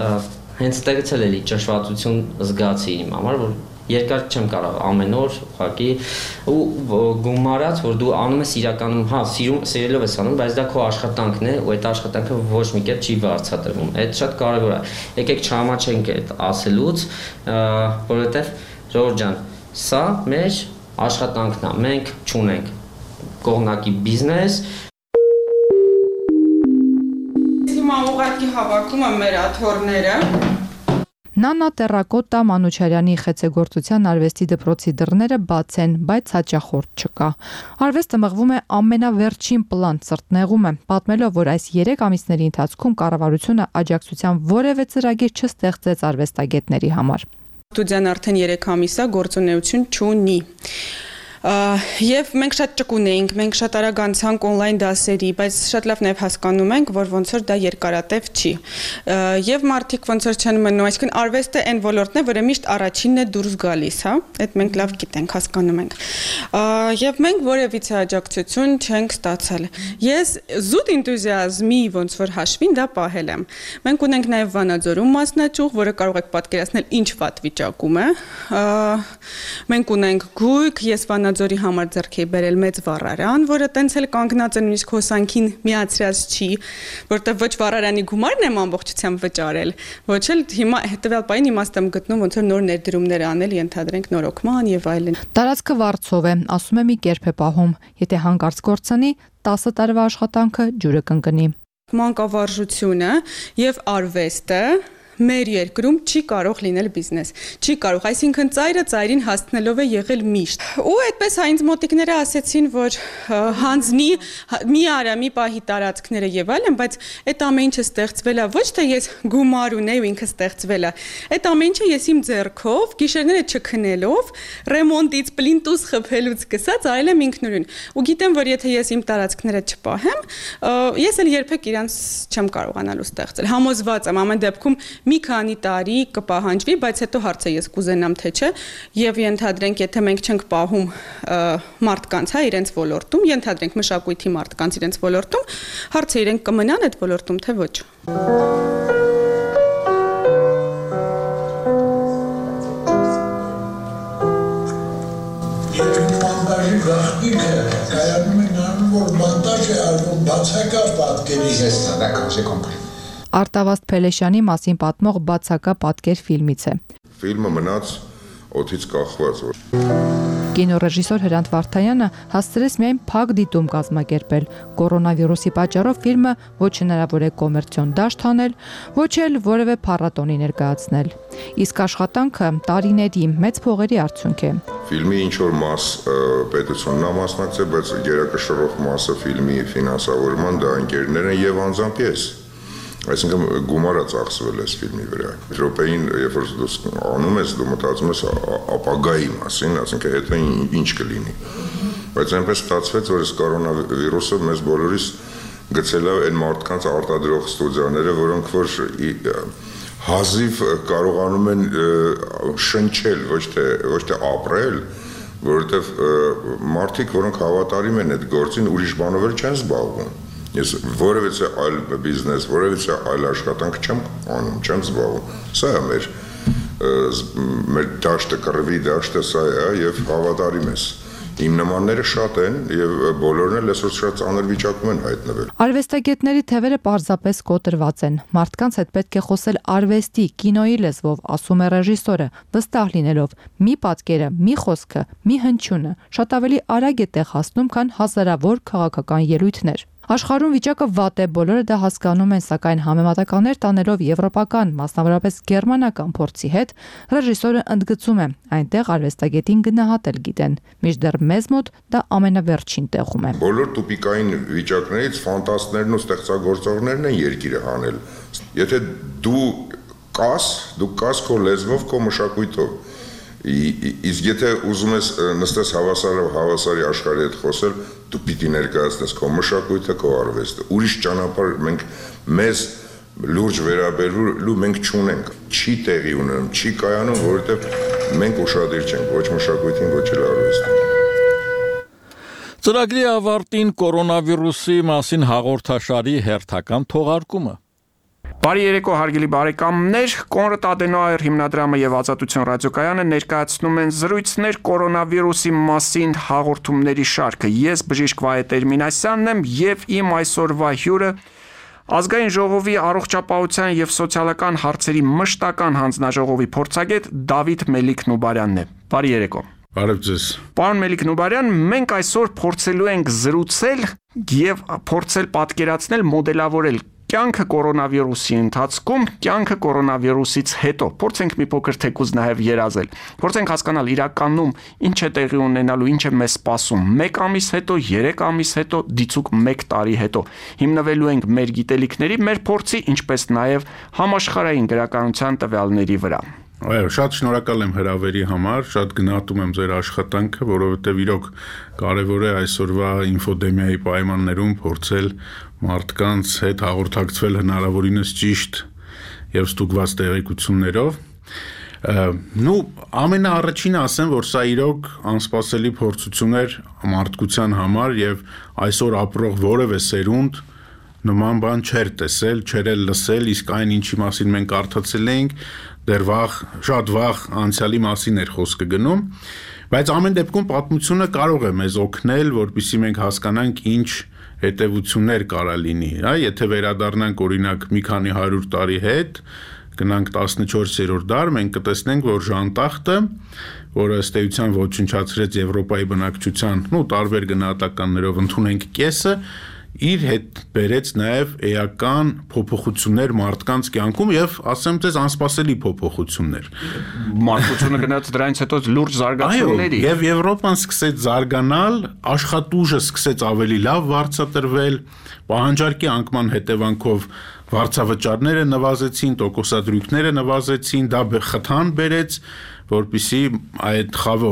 հենց տեղից էլ էլի ճշմարտություն զգացի իմ համար, որ երկար չեմ կարող ամեն օր ուղղակի ու գումարած, որ դու անում ես իրականում, սիրելով ես անում, բայց դա քո աշխատանքն է ու այդ աշխատանքը ոչ մի կերպ չի վարձատրվում։ Այդ շատ կարևոր է։ Եկեք չհամաչենք այդ ասելուց, որովհետև Ժողովուրդ ջան, սա մեր աշխատանքն է, մենք չունենք կողմնակի բիզնես։ Հիմա ուղղակի հավաքում եմ մեր աթոռները։ Նանա Տերակոտա Մանուչարյանի խեցեգործության արվեստի դպրոցի դռները բաց են, բայց հաճախորդ չկա։ Արվեստը մղվում է ամենավերջին պլան, սրտնեղում է, պատմելով, որ այս 3 ամիսների ընթացքում կառավարությունը աջակցության որևէ ծրագիր չստեղծեց արվեստագետների համար։ Ստուդիան արդեն 3 ամիս է գործունեություն չունի։ Եվ մենք շատ ճկուն էինք, մենք շատ արագ անցանք on-line դասերի, բայց շատ լավ նաև հասկանում ենք, որ ոնց որ դա երկարատև չի։ Եվ մարդիկ ոնց որ չեն մնում, այսինքն արվեստը այն ոլորտն է, որը միշտ առաջինն է դուրս գալիս, հա, այդ մենք լավ գիտենք, հասկանում ենք։ Եվ մենք որևիցե աջակցություն չենք ստացել։ Ես զուտ էնտուզիազմի ոնց որ հաշվին դա պահել եմ։ Մենք ունենք նաև Վանաձորում մասնաճյուղ, որը կարող եք պատկերացնել ինչ վատ վիճակում է։ Մենք ունենք գույք, ես Ձորի համար ձեռք էի բերել մեծ վառարան, որը տենց էլ կանգնած է նույնիսկ հոսանքին միացրած չի, որտեղ ոչ վառարանի գումարն եմ ամբողջությամբ վճարել, ոչ էլ հիմա հետևյալ պահին իմաստ եմ գտնում ոնց որ նոր ներդրումներ անել, ենթադրենք նորոգման եւ այլն։ Տարածքը վարձով է, ասում է մի կերպ է պահում, եթե հանկարծ կորցնի 10 տարվա աշխատանքը ջուրը կընկնի։ Մանկավարժությունը եւ արվեստը մեր երկրում չի կարող լինել բիզնես, չի կարող, այսինքն ծայրը ծայրին հասցնելով է եղել միշտ։ Ու այդպես հա ինձ մոտիկները ասեցին, որ հանձնի մի արա, մի պահի տարածքները եւ այլն, բայց այդ ամեն ինչը ստեղծվել է ոչ թե ես գումար ունեի ու ինքը ստեղծվել է, այդ ամեն ինչը ես իմ ձեռքով, գիշերները չքնելով, ռեմոնտից, պլինտուս խփելուց սկսած արել եմ ինքնուրույն։ Ու գիտեմ, որ եթե ես իմ տարածքները չպահեմ, ես էլ երբեք իրանց չեմ կարողանալու ստեղծել։ Համոզված եմ ամեն դեպքում մի քանի տարի կպահանջվի, բայց հետո հարցը ես կուզենամ թե չէ, եւ ենթադրենք, եթե մենք չենք պահում մարդկանց, հա, իրենց ոլորտում, ենթադրենք մշակույթի մարդկանց իրենց ոլորտում, հարցը իրենք կմնան այդ ոլորտում, թե ոչ։ Մոնտաժի գաղտնիքը կայանում է նրանում, որ մոնտաժ է արվում բացակա պատկերի։ Արտավազդ Փելեշյանի մասին պատմող բացակա պատկեր ֆիլմից է։ Ֆիլմը մնաց օդից կախված։ Կինոռեժիսոր Հրանտ Վարդայանը հասցրեց միայն փակ դիտում կազմակերպել։ Կորոնավիրուսի պատճառով ֆիլմը ոչ հնարավոր է կոմերցիոն դաշտ հանել, ոչ էլ որևէ փառատոնի ներկայացնել։ Իսկ աշխատանքը տարիների մեծ փողերի արդյունք է։ Ֆիլմի ինչ որ մաս պետությունն է մասնակցել, բայց գերակշռող մասը ֆիլմի ֆինանսավորման դա ընկերներն են եւ անձամբ ես։ Այսինքն գումարը ծախսվել է ֆիլմի վրա։ Եվրոպային, երբ որ դու անում ես, դու մտածում ես ապագայի մասին, այսինքն հետո ինչ կլինի։ Բայց այնպես ստացվեց, որ այս կորոնավիրուսը մեզ բոլորիս գցել է այն մարդկանց արտադրող ստուդիաները, որոնք որ հազիվ կարողանում են շնչել, ոչ թե ապրել, որովհետև մարդիկ, որոնք հավատարիմ են այդ գործին, ուրիշ բանով էլ չեն զբաղվում։ Ես որևիցե այլ բիզնես, որևիցե այլ աշխատանք չեմ անում, չեմ զբաղվում։ Սա է մեր դաշտը, կռվի դաշտը սա է եւ հավատարիմ ես։ Իմ նմանները շատ են եւ բոլորն էլ այսօր շատ ծանր վիճակում են հայտնվել։ Արվեստագետների թևերը պարզապես կոտրված են։ Մարդկանց հետ պետք է խոսել արվեստի, կինոյի լեզվով, ասում է ռեժիսորը, վստահ լինելով՝ մի պատկերը, մի խոսքը, մի հնչյունը շատ ավելի արագ է տեղ հասնում, քան հազարավոր քաղաքական ելույթներ։ Աշխարհում վիճակը վատ է, բոլորը դա հասկանում են, սակայն համեմատականներ տանելով եվրոպական, մասնավորապես գերմանական փորձի հետ, ռեժիսորը ընդգծում է, այնտեղ արվեստագետին գնահատել գիտեն, մինչդեռ մեզ մոտ դա ամենավերջին տեղում է։ Բոլոր տուպիկային վիճակներից ֆանտաստներն ու ստեղծագործողներն են երկիրը հանել։ Եթե դու կաս քո լեզվով, քո մշակույթով, իսկ եթե ուզում ես նստես հավասարի աշխարհի հետ խոսել, դու պիտի ներկայացնես քո մշակույթը, քո արվեստը։ Ուրիշ ճանապարհ մեզ լուրջ վերաբերելու մենք չունենք, չի տեղի ունենում, չի կայանում, որովհետև մենք ուշադիր չենք ոչ մշակույթին, ոչ էլ արվեստին։ Ծրագրի ավարտին կորոնավիրուսի մասին հաղորդաշարի հերթական թողարկումը։ Բարի երեկո հարգելի բարեկամներ, Կոնրադ Ադենոայր հիմնադրամը եւ Ազատություն ռադիոկայանը ներկայացնում են զրույցներ կորոնավիրուսի մասին հաղորդումների շարքը։ Ես բժիշկ Վահե Տերմինասյանն եմ եւ իմ այսօրվա հյուրը Ազգային ժողովի առողջապահության եւ սոցիալական հարցերի մշտական հանձնաժողովի փորձագետ Դավիթ Մելիք Նուբարյանն է։ Բարի երեկո։ Բարև ձեզ։ Պարոն Մելիք Նուբարյան, մենք այսօր փորձելու ենք զրուցել եւ փորձել պատկերացնել, մոդելավորել կյանքը կորոնավիրուսի ընթացքում, կյանքը կորոնավիրուսից հետո։ Փորձենք մի փոքր թեկուզ նաև երազել։ Փորձենք հասկանալ իրականում ինչ է տեղի ունենալու, ինչ է մեզ սպասում 1 ամիս հետո, 3 ամիս հետո, դիցուկ 1 տարի հետո։ Հիմնվելու ենք մեր գիտելիքների, մեր փորձի, ինչպես նաև համաշխարհային գրականության տվյալների վրա։ Այո, շատ շնորհակալ եմ հրավերի համար, շատ գնահատում եմ ձեր աշխատանքը, որովհետև իրոք կարևոր է այսօրվա ինֆոդեմիայի պայմաններում փորձել մարդկանց հետ հաղորդակցվել հնարավորինս ճիշտ եւ ստուգված տեղեկություններով։ Ամենաառաջինը ասեմ, որ սա իրոք անսպասելի փորձություն էր մարդկության համար եւ այսօր ապրող որևէ սերունդ նման բան չէր տեսել, չէր լսել, իսկ այն ինչի մասին մենք կարդացել էինք, դեռ շատ վաղ անցյալի մասին էր խոսքը գնում, բայց ամեն դեպքում պատմությունը կարող է մեզ օգնել, որպեսզի մենք հասկանանք ինչ հետևություններ կարա լինի, եթե վերադառնանք օրինակ մի քանի 100 տարի հետ, գնանք 14-րդ դար, մենք կտեսնենք, որ Ժանտախտը, որը ըստ էության ոչնչացրեց Եվրոպայի բնակչության, տարբեր գնահատականներով ընդունենք կեսը, իր հետ բերեց նաև էական փոփոխություններ մարդկանց կյանքում եւ ասեմ ձեզ անսպասելի փոփոխություններ։ Մարդկությունը գնաց դրանից հետո լուրջ զարգացումների։ Եվ Եվրոպան սկսեց զարգանալ, աշխատուժը սկսեց ավելի լավ վարձատրվել, պահանջարկի անկման հետևանքով վարձավճարները նվազեցին, տոկոսադրույքները նվազեցին, դա խթան բերեց, որպեսզի այդ խավը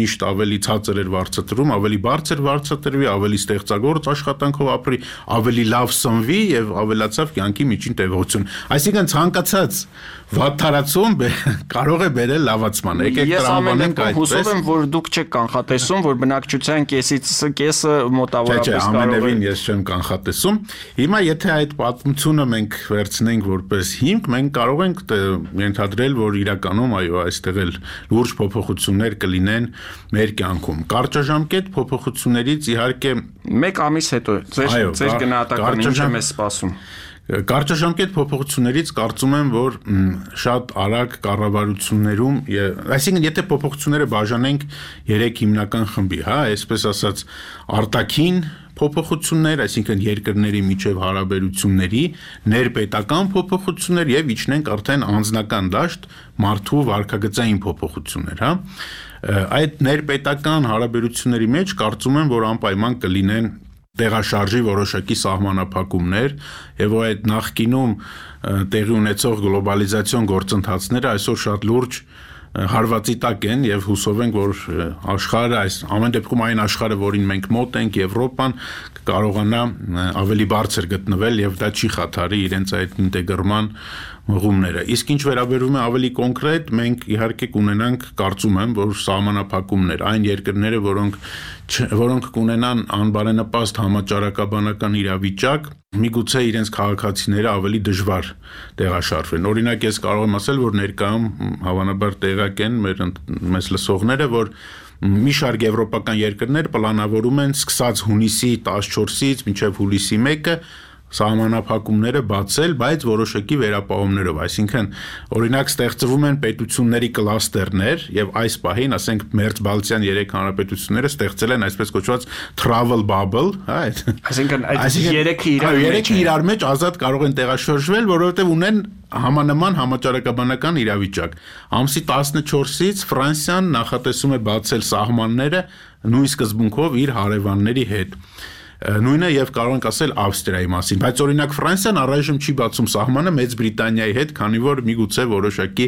միշտ ավելի ցածր էր վարձատրում, ավելի բարձր վարձատրվի, ավելի ստեղծագործ աշխատանքով ապրի, ավելի լավ սնվի եւ ավելացավ կյանքի միջին տևողություն։ Այսինքն ցանկացած վատթարացում կարող է բերել լավացման։ Եկեք տրամաբանենք այդպես։ Հուսով եմ, որ դուք չեք կանխատեսում, որ բնակչության կեսը մոտավորապես կարող է։ Ամենևին ես չեմ կանխատեսում։ Հիմա եթե այդ պատմությունը մենք վերցնենք որպես հիմք, մենք կարող ենք ենթադրել, որ իրականում այո, այստեղ էլ լուրջ փոփոխություններ կլինեն մեր կյանքում։ Կարճաժամկետ փոփոխություններից իհարկե 1 ամիս հետո ձեր գնահատականը ինչ է մեզ սպասում։ Կարճաժամկետ փոփոխություններից կարծում եմ, որ շատ արագ կառավարություններում, այսինքն եթե փոփոխությունները բաժանենք 3 հիմնական խմբի, այսպես ասած արտաքին փոփոխություններ, այսինքն երկրների միջև հարաբերությունների, ներպետական փոփոխություններ եւ իջնենք արդեն անձնական դաշտ մարդու վարքագծային փոփոխություններ, Այդ ներպետական հարաբերությունների մեջ կարծում եմ, որ անպայման կլինեն տեղաշարժի որոշակի սահմանափակումներ եւ այդ նախկինում տեղի ունեցող գլոբալիզացիոն գործընթացները այսօր շատ լուրջ հարվածի տակ են եւ հուսով ենք, որ աշխարհը ամեն դեպքում այն աշխարհը, որին մենք մոտ ենք, Եվրոպան կարողանա ավելի բարձր գտնվել եւ դա չի խաթարի իրենց այդ ինտեգրման մղումները։ Իսկ ինչ վերաբերում է ավելի կոնկրետ, մենք իհարկե կունենանք, կարծում եմ, որ սահմանափակումներ, այն երկրները, որոնք կունենան անբարենպաստ համաճարակաբանական իրավիճակ, միգուցե իրենց քաղաքացիները ավելի դժվար տեղաշարժվեն։ Օրինակ, ես կարող եմ ասել, որ ներկայում հավանաբար տեղակ են մեզ լսողները, որ մի շարք եվրոպական երկրներ պլանավորում են սկսած հունիսի 14-ից մինչև հուլիսի 1-ը սահմանափակումները բացել, բայց որոշակի վերապահումներով, այսինքն օրինակ ստեղծվում են պետությունների կլաստերներ եւ այս պահին, ասենք Մերձբալթյան 3 հանրապետությունները ստեղծել են այսպես կոչված travel bubble, հա, այսինքն այդ 3-ը իրար մեջ ազատ կարող են տեղաշարժվել, որովհետեւ ունեն համանման համաճարակաբանական իրավիճակ։ Ամսի 14-ից Ֆրանսիան նախատեսում է բացել սահմանները նույն սկզբունքով իր հարևանների հետ։ Նույնը եւ կարող ենք ասել Ավստրիայի մասին, բայց օրինակ Ֆրանսիան առայժմ չի բացում սահմանը Մեծ Բրիտանիայի հետ, քանի որ միգուցե որոշակի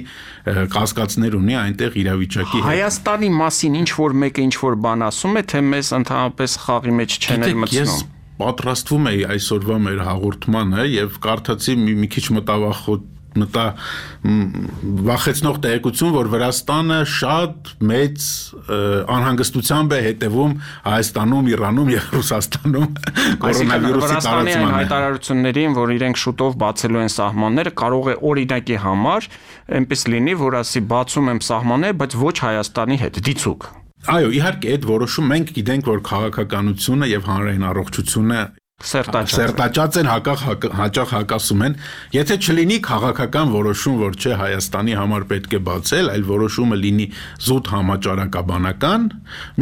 կասկածներ ունի այնտեղ իրավիճակի հետ։ Հայաստանի մասին ինչ որ մեկը ինչ որ բան ասում է, թե մեզ ընդհանրապես խաղի մեջ չեն մտցնում։ Ես պատրաստվում էի այսօրվա մեր հաղորդմանը եւ կարդացի մի քիչ վախեցնող տեղեկություն, որ Վրաստանը շատ մեծ անհանգստությամբ է հետևում Հայաստանում, Իրանում եւ Ռուսաստանում կորոնավիրուսի տարածմանը։ Հայտարարություններին, որ իրենք շուտով բացելու են սահմանները, կարող է օրինակի համար այնպես լինի, որ ասի բացում եմ սահմանները, բայց ոչ Հայաստանի հետ, դիցուկ։ Այո, իհարկե այդ որոշում մենք գիտենք, որ քաղաքականությունը եւ հանրային առողջությունը սերտաճած են, հաճախ հակասում են, եթե չլինի քաղաքական որոշում, որ չէ Հայաստանի համար պետք է բացել, այլ որոշումը լինի զուտ համաճարակաբանական,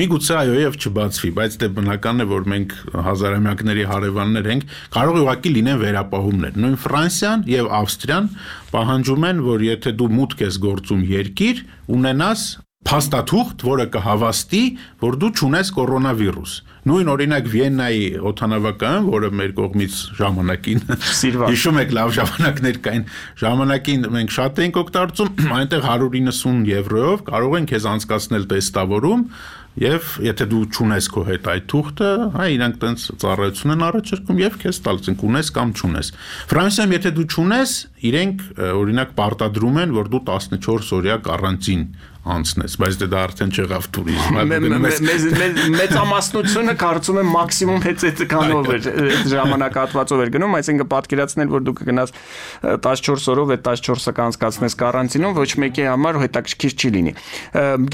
միգուցե այո եւ չբացվի, բայց դե բնական է, որ մենք հազարամյակների հարևաններ ենք, կարող է ուղղակի լինեն վերապահումներ։ Նույն Ֆրանսիան եւ Ավստրիան պահանջում են, որ եթե դու մուտք ես գործում երկիր, ունենաս փաստաթուղթ, որը կհավաստի, որ դու չունես կորոնավիրուս։ Նույն օրինակ Վիեննայի օդանավակայանը, որը մեր կողմից ժամանակին հիշում եք լավ ժամանակներ կային, ժամանակին մենք շատ էինք օգտագործում, այնտեղ 190 եվրոյով կարող են քեզ անցկացնել տեստավորում եւ եթե դու չունես քո հետ այդ թուղթը, հա իրանք տենց ծառայություն են առաջարկում եւ քեզ տալիս են ունես կամ չունես։ Ֆրանսիայում եթե դու չունես, իրենք օրինակ պարտադրում են, որ դու 14 օրյա կարանտին անցնես, բայց դա արդեն չեղավ տուրիզմ։ Մեծամասնությունը կարծում եմ մաքսիմում հեծեծկանով էր ժամանակահատվածով էր գնում, այսինքն պատկերացնել, որ դու կգնաս 14 օրով այդ 14-ը կանցկացնես կարանտինում, ոչ մեկի համար հետաքրքիր չի լինի։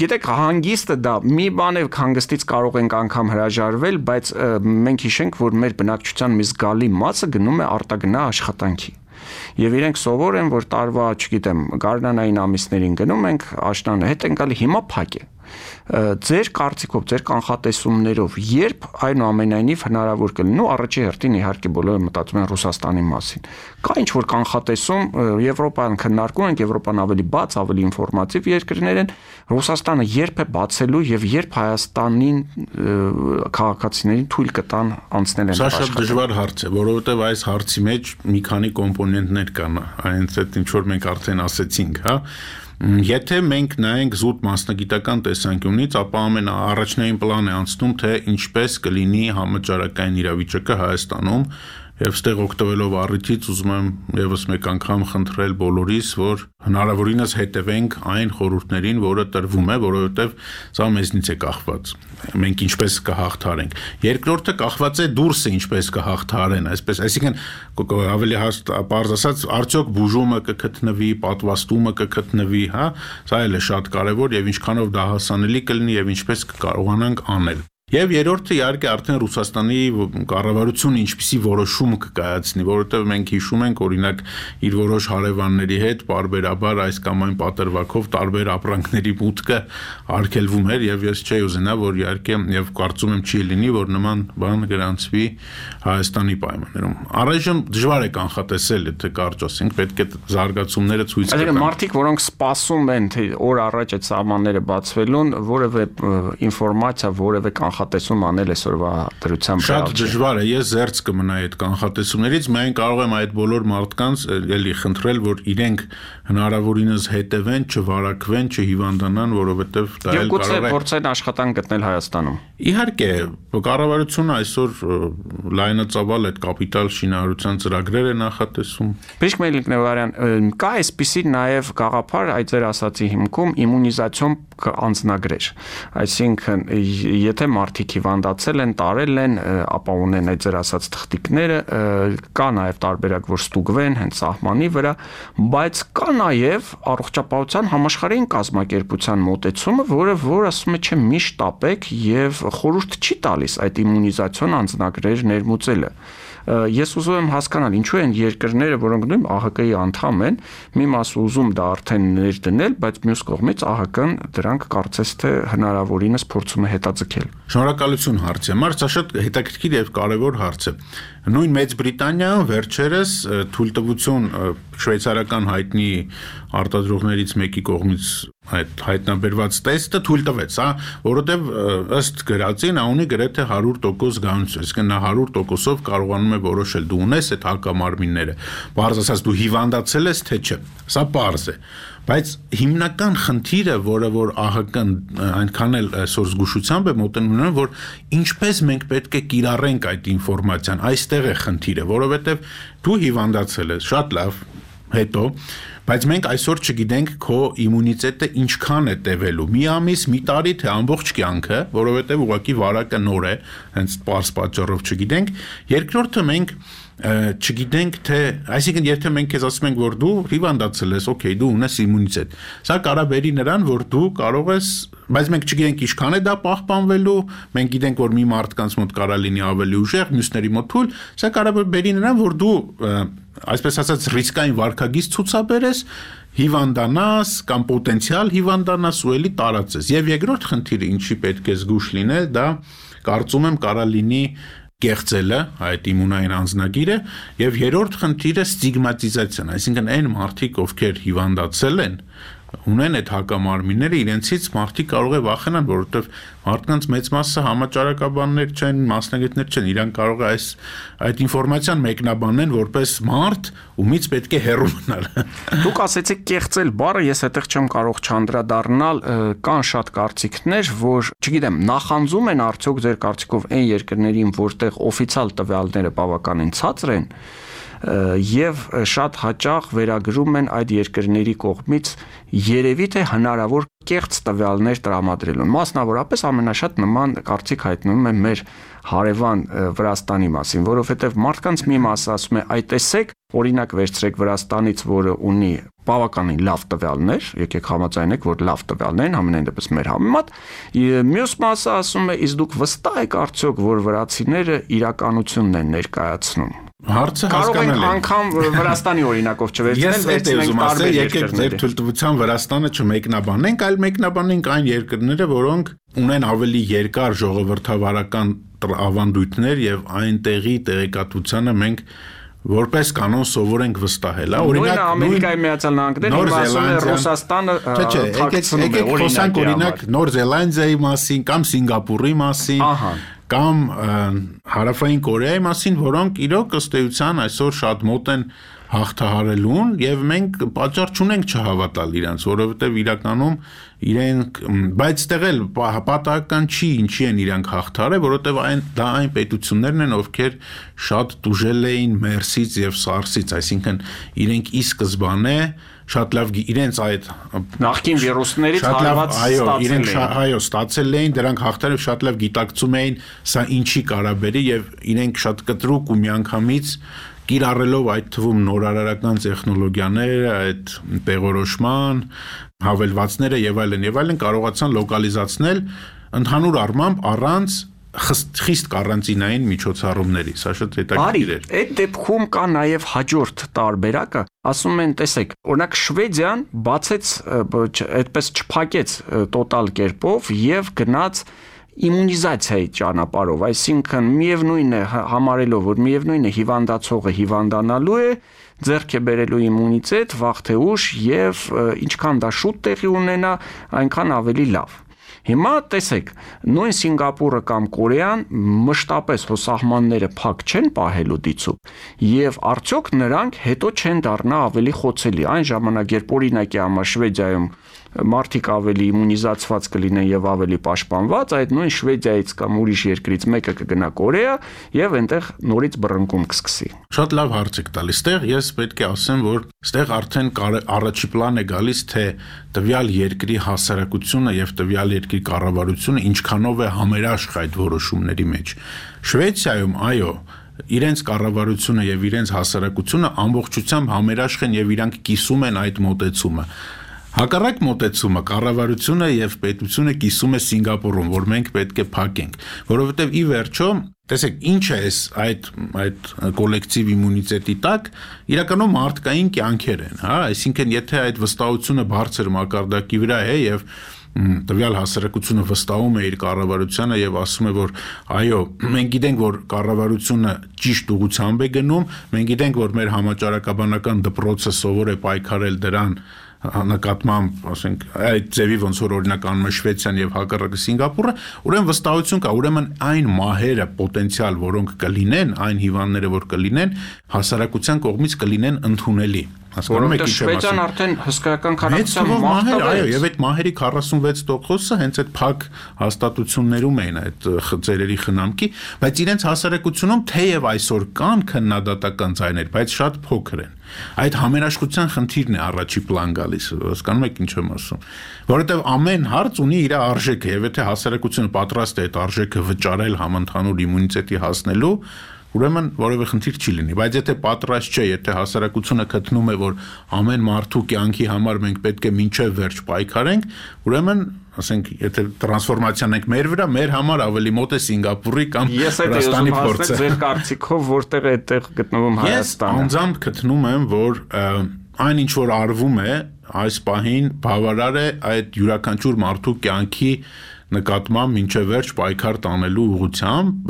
Գիտեք, հանգիստը դա մի բան է, հանգստից կարող ենք անգամ հրաժարվել, բայց մենք հիշենք, որ մեր բնակչության մի զգալի մասը գնում է արտագնա աշխատանքի։ Եվ իրենք սովոր են, որ տարվա, չգիտեմ, գարնանային ամիսներին գնում ենք, աշնանը հետ են գալի, հիմա փակ է։ Ձեր կարծիքով, ձեր կանխատեսումներով, երբ այնուամենայնիվ հնարավոր կլինի, առաջի հերթին իհարկե բոլորը մտածում են Ռուսաստանի մասին։ Կա ինչ որ կանխատեսում, Եվրոպան քննարկում ենք, Եվրոպան ավելի բաց, ավելի ինֆորմատիվ երկրներ են, Ռուսաստանը երբ է բացելու եւ երբ Հայաստանին քաղաքացիներին թույլ կտան անցնել են։ Սա շատ դժվար հարց է, որովհետեւ այս հարցի մեջ մի քանի կոմպոնենտներ կան, այնց այդ ինչ որ մենք արդեն ասեցինք, հա։ Եթե մենք նայենք զուտ մասնագիտական տեսանկյունից, ապա ամենաառաջնային պլան է անցնում, թե ինչպես կլինի համաճարակային իրավիճակը Հայաստանում եւ ստեղ օգտվելով առիթից ուզում եմ եւս մեկ անգամ խնդրել բոլորիս, որ հնարավորինս հետևենք այն խորհուրդներին, որը տրվում է, որովհետեւ սա մեզնից է կախված։ Մենք ինչպես կհաղթարենք։ Երկրորդը կախված է դուրսը ինչպես կհաղթարեն, այսպես, այսինքն ավելի պարզ ասած, արդյոք բուժումը կգտնվի, պատվաստումը կգտնվի, հա, սա էլ է շատ կարեւոր եւ ինչքանով դա հասանելի կլինի եւ ինչպես կկարողանանք անել։ Եվ երրորդը իհարկե արդեն Ռուսաստանի կառավարությունը ինչպիսի որոշում կկայացնի, որովհետև մենք հիշում ենք օրինակ իր որոշ հարևանների հետ պարբերաբար այս կամ այն պատրվակով տարբեր ապրանքների մուտքը արգելվում էր եւ ես չէի ուզենա, որ իհարկե եւ կարծում եմ չի լինի, որ նման բան գրանցվի Հայաստանի պայմաններում։ Առայժմ դժվար է կանխատեսել, եթե կարճ ասենք, պետք է զարգացումները ցույց տան։ Այսինքն մարդիկ, որոնք սպասում են, թե օր առաջ այդ սահմանները բացվելուն, որևէ ինֆորմացիա, որևէ կանխատեսում անել այսօրվա դրությամբ։ Շատ դժվար է, ես զերծ կմնայի այդ կանխատեսումներից, միայն կարող եմ այդ բոլոր մարդկանց էլի խնդրել, որ իրենք հնարավորինս հետևեն, չվարակվեն, չհիվանդանան, որովհետև դա էլ կարող է փորձեն աշխատանք գտնել Հայաստանում։ Իհարկե, կառավարությունը այսօր լայնածավալ այդ կապիտալ շինարարության ծրագրեր է նախատեսում։ Բժիշկ Մելիք Նեվարյան, կա այսպիսի նաև գաղափար այդ ձեր ասացի հիմքում իմունիզացիոն անձնագրեր։ Այսինքն, եթե մարդիկ հիվանդացել են, տարել են, ապա ունեն այդ ձեր ասած թղթիկները, կա նաև տարբերակ, որ ստուգվեն հենց սահմանի վրա, բայց կա նաև առողջապահության համաշխարհային կազմակերպության մոտեցումը, որ ասում է, չէ, միշտ տապեք եւ խորհուրդ չի տալիս այդ իմունիզացիոն անձնագրեր ներմուծելը։ Ես ուզում եմ հասկանալ, ինչու են երկրները, որոնք նույն ԱՀԿ-ի անդամ են, մի մասը ուզում դա արդեն ներդնել, բայց մյուս կողմից ԱՀԿ-ն դրանք կարծես թե հնարավորինս փորձում է հետաձգել։ Շնորհակալություն հարցի համար, սա շատ հետաքրքիր եւ կարեւոր հարց է։ Նույն Մեծ Բրիտանիայում վերջերս թույլտվություն շվեյցարական հայտնի արտադրողներից մեկի կողմից այդ հայտնաբերված տեստը թույլ տվեց, որովհետև ըստ գրածի նա ունի գրեթե 100% գանություն, այսինքն նա 100%-ով կարողանում է որոշել դու ունես այդ հակամարմինները, բարձ ասած դու հիվանդացել ես թե չէ, սա պարզ է, բայց հիմնական խնդիրը, որը որ ԱՀԿ-ն այնքան էլ այսօր զգուշությամբ է մոտենում, որ ինչպես մենք պետք է կիրառենք այդ ինֆորմացիան, այստեղ է խնդիրը, որովհետև դու հիվանդացել ես, շատ լավ, հետո բայց մենք այսօր չգիտենք քո իմունիտետը ինչքան է տևելու՝ մի ամիս, մի տարի, թե ամբողջ կյանքը, որովհետև ուղղակի վարակը նոր է, հենց պարզ պատճառով չգիտենք։ Երկրորդը մենք չգիտենք թե, այսինքն եթե մենք քեզ ասում ենք, որ դու հիվանդացել ես, օքեյ, դու ունես իմունիտետ, սա կարող է բերի նրան, որ դու կարող ես, բայց մենք չգիտենք ինչքան է դա պահպանվելու, մենք գիտենք, որ մի մարդկանց մոտ կարող լինի ավելի ուժեղ, մյուսների մոտ թույլ, սա կարող է բերի նրան, որ դու այսպես ասած ռիսկային վարքագիծ ցուցաբերես, հիվանդանաս կամ պոտենցիալ հիվանդանաս ու էլի տարածես։ Եվ երկրորդ խնդիրը, ինչի պետք է զգուշ լինել, դա կարծում եմ կարող լինի կեղծելը, այդ իմունային անձնագիրը, եւ երրորդ խնդիրը ստիգմատիզացիան, այսինքն այն մարդիկ, ովքեր հիվանդացել են, ունեն այդ հակամարմինները, իրենցից մարդիկ կարող է վախենան, որովհետև մարդկանց մեծ մասը համաճարակաբաններ չեն, մասնագետներ չեն, իրանք կարող է այդ ինֆորմացիան մեկնաբանեն որպես մարդ, ումից պետք է հեռու մնալ։ Դուք ասեցիք կեղծել բառը, ես այդտեղ չեմ կարող չանդրադառնալ, կան շատ կարծիքներ, որ, չգիտեմ, նախանձում են արդյոք ձեր կարծիքով այն երկրներին, որտեղ օֆիցիալ տվյալները բավականին ցածր են, եւ շատ հաճախ վերագրում են այդ երկրների կողմից երևի թե հնարավոր կեղծ տվյալներ տրամադրելուն։ Մասնավորապես ամենաշատ նման կարծիք հայտնվում է մեր հարևան Վրաստանի մասին, որովհետև մարդկանց մի մասը ասում է, այ տեսեք, օրինակ վերցրեք Վրաստանից, որը ունի բավականին լավ տվյալներ, եկեք համաձայնեք, որ լավ տվյալներ են, ամենայն դեպս մեր համեմատ, մյուս մասը ասում է, իսկ դուք վստահ եք արդյոք, որ վրացիները իրականությունն են ներկայացնում։ Հարցը կարող ենք անգամ Վրաստանի օրինակով չվերցնել, վերցնենք տարբեր եկեք ձեր թույլտվության Վրաստանը չմեկնաբանենք, այլ մեկնաբանենք այն երկրները, որոնք ունեն ավելի երկար ժողովրդավարական ավանդույթներ եւ այնտեղի տեղեկատվությանը մենք որպես կանոն սովոր ենք վստահել, օրինակ Ամերիկայի Միացյալ Նահանգները, հիմա ասում է Ռուսաստանը թաքցնում է, օրինակ Նոր Զելանդիայի մասին կամ Սինգապուրի մասին, կամ Հարավային Կորեայի մասին, որոնք իրոք ըստ էության այսօր շատ մոտ են հաղթահարելուն եւ մենք պատճառ չունենք չհավատալ իրանց, որովհետեւ իրականում իրենք, բայց այդտեղ էլ պատահական չի, ինչի են իրանք հաղթարել, որովհետեւ դա այն պետություններն են, ովքեր շատ տուժել էին MERS-ից եւ SARS-ից, այսինքն իրենք ի սկզբանե շատ լավ իրենց այդ նախկին վիրուսներից հարված իրենք ստացել էին, դրանք հաղթարել շատ լավ գիտակցում էին, սա ինչի կարաբերի եւ իրենք շատ կտրուկ ու միանգամից կիրառելով այդ թվում նորարարական տեխնոլոգիաները, այդ տեղորոշման, հավելվածները եւ այլն կարողացան լոկալիզացնել ընդհանուր առմամբ առանց խիստ կարանտինային միջոցառումների, սա շատ հետաքրքիր էր։ Այդ դեպքում կա նաև հաջորդ տարբերակը, ասում են, տեսեք, օրինակ Շվեդիան բացեց, այդպես չփակեց տոտալ կերպով եւ գնաց իմունիզացիայի ճանապարհով, այսինքն միևնույն է համարելով, որ միևնույն է հիվանդացողը հիվանդանալու է, ձեռք է բերելու իմունիտետ, վաղ թե ուշ եւ ինչքան դա շուտ տեղի ունենա, այնքան ավելի լավ։ Հիմա տեսեք, նույն Սինգապուրը կամ Կորեան մշտապես հո սահմանները փակ չեն պահելու դիցուկ, եւ արդյոք նրանք հետո չեն դառնա ավելի խոցելի։ Այն ժամանակ, երբ օրինակի համար Շվեդիայում մարդիկ ավելի իմունիզացված կլինեն եւ ավելի պաշտպանված, այդ նույն Շվեդիայից կամ ուրիշ երկրից մեկը կգնա Կորեա եւ այնտեղ նորից բռնկում կսկսի։ Շատ լավ հարց եք տալիս։ Ստեղ ես պետք է ասեմ, որ ստեղ արդեն առաջի պլան է գալիս, թե տվյալ երկրի հասարակությունը եւ տվյալ երկրի կառավարությունը ինչքանով է համերաշխ այդ որոշումների մեջ։ Շվեդիայում, այո, իրենց կառավարությունը եւ իրենց հասարակությունը ամբողջությամբ համերաշխ են եւ իրանք կիսում են այդ մոտեցումը։ Հակառակ մոտեցումը կառավարությունը եւ պետությունը կիսում է Սինգապուրում, որ մենք պետք է փակենք, որովհետեւ ի վերջո, տեսեք, ինչ է այդ կոլեկտիվ իմունիտետի տակ, իրականում մարդկային կյանքեր են, հա, այսինքն եթե այդ վստահությունը բարձր մակարդակի վրա է եւ տվյալ հասարակությունը վստահում է իր կառավարությանը եւ ասում է, որ այո, մենք գիտենք, որ կառավարությունը ճիշտ ուղղությամբ է գնում, մենք գիտենք, որ մեր համաճարակաբանական դպրոցը սովոր է պայքարել դրան նկատմամբ, ասենք, այդ ձևի ոնց որ օրինակ անում է Շվեդիան եւ հակառակը Սինգապուրը, ուրեմն վստահություն կա, ուրեմն այն մահերը պոտենցիալ, որոնք կլինեն, այն հիվանդները, որ կլինեն, հասարակության կողմից կլինեն ընդունելի։ Որովհետեւ Շվեդիան արդեն հսկայական քանակությամբ մահեր, այո, եւ այդ մահերի 46%-ը հենց այդ փակ հաստատություններում էին այդ ծերերի խնամքի, բայց իրենց հասարակությունում թեև այսօր կան քննադատական ձայներ, բայց շատ փոքր են։ Այդ համերաշխության խնդիրն է առաջի պլան գալիս, հասկանում եք ինչ եմ ասում, որովհետեւ ամեն հարց ունի իր արժեքը, եւ եթե հասարակությունը պատրաստ է այդ արժեքը վճարել համընդհանուր իմունիտետի հասնելու, ուրեմն որևէ խնդիր չի լինի, բայց եթե պատրաստ չէ, եթե հասարակությունը գտնում է, որ ամեն մարդու կյանքի համար մենք պետք է մինչև վերջ պայքարենք, ուրեմն, ասենք, եթե տրանսֆորմացիան ենք մեր վրա, մեր համար ավելի մոտ է Սինգապուրի կամ Վրաստանի փորձը։ Ձեր կարծիքով որտեղ է այդտեղ գտնվում Հայաստանը։ Ես անձամբ գտնում եմ, որ այն ինչ որ արվում է, այս պահին բավարար է այդ յուրաքանչյուր մարդու կյանքի նկատմամբ մինչև վերջ պայքար տանելու ուղղությամբ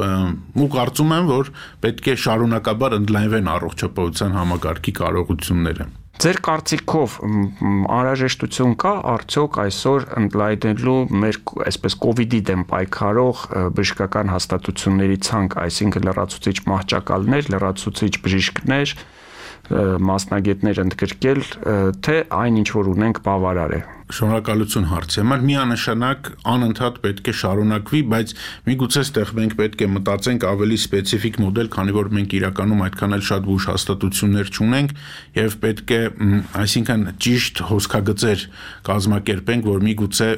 ու կարծում եմ, որ պետք է շարունակաբար ընդլայնվեն առողջապահության համակարգի կարողությունները։ Ձեր կարծիքով անհրաժեշտություն կա արդյոք այսօր ընդլայնելու մեր այսպես կոവിഡ്ի դեմ պայքարող բժշկական հաստատությունների ցանկ, այսինքն լրացուցիչ մահճակալներ, լրացուցիչ բժիշկներ, մասնագետներ ընդգրկել, թե այն ինչ որ ունենք բավարար է։ Շնորհակալություն հարցի համար, միանշանակ անընդհատ պետք է շարունակվի, բայց միգուցե ստեղ մենք պետք է մտածենք ավելի սպეციფიկ մոդել, քանի որ մենք իրականում այդքան էլ շատ բուժ հաստատություններ չունենք եւ պետք է, այսինքն ճիշտ հոսքագծեր կազմակերպենք, որ միգուցե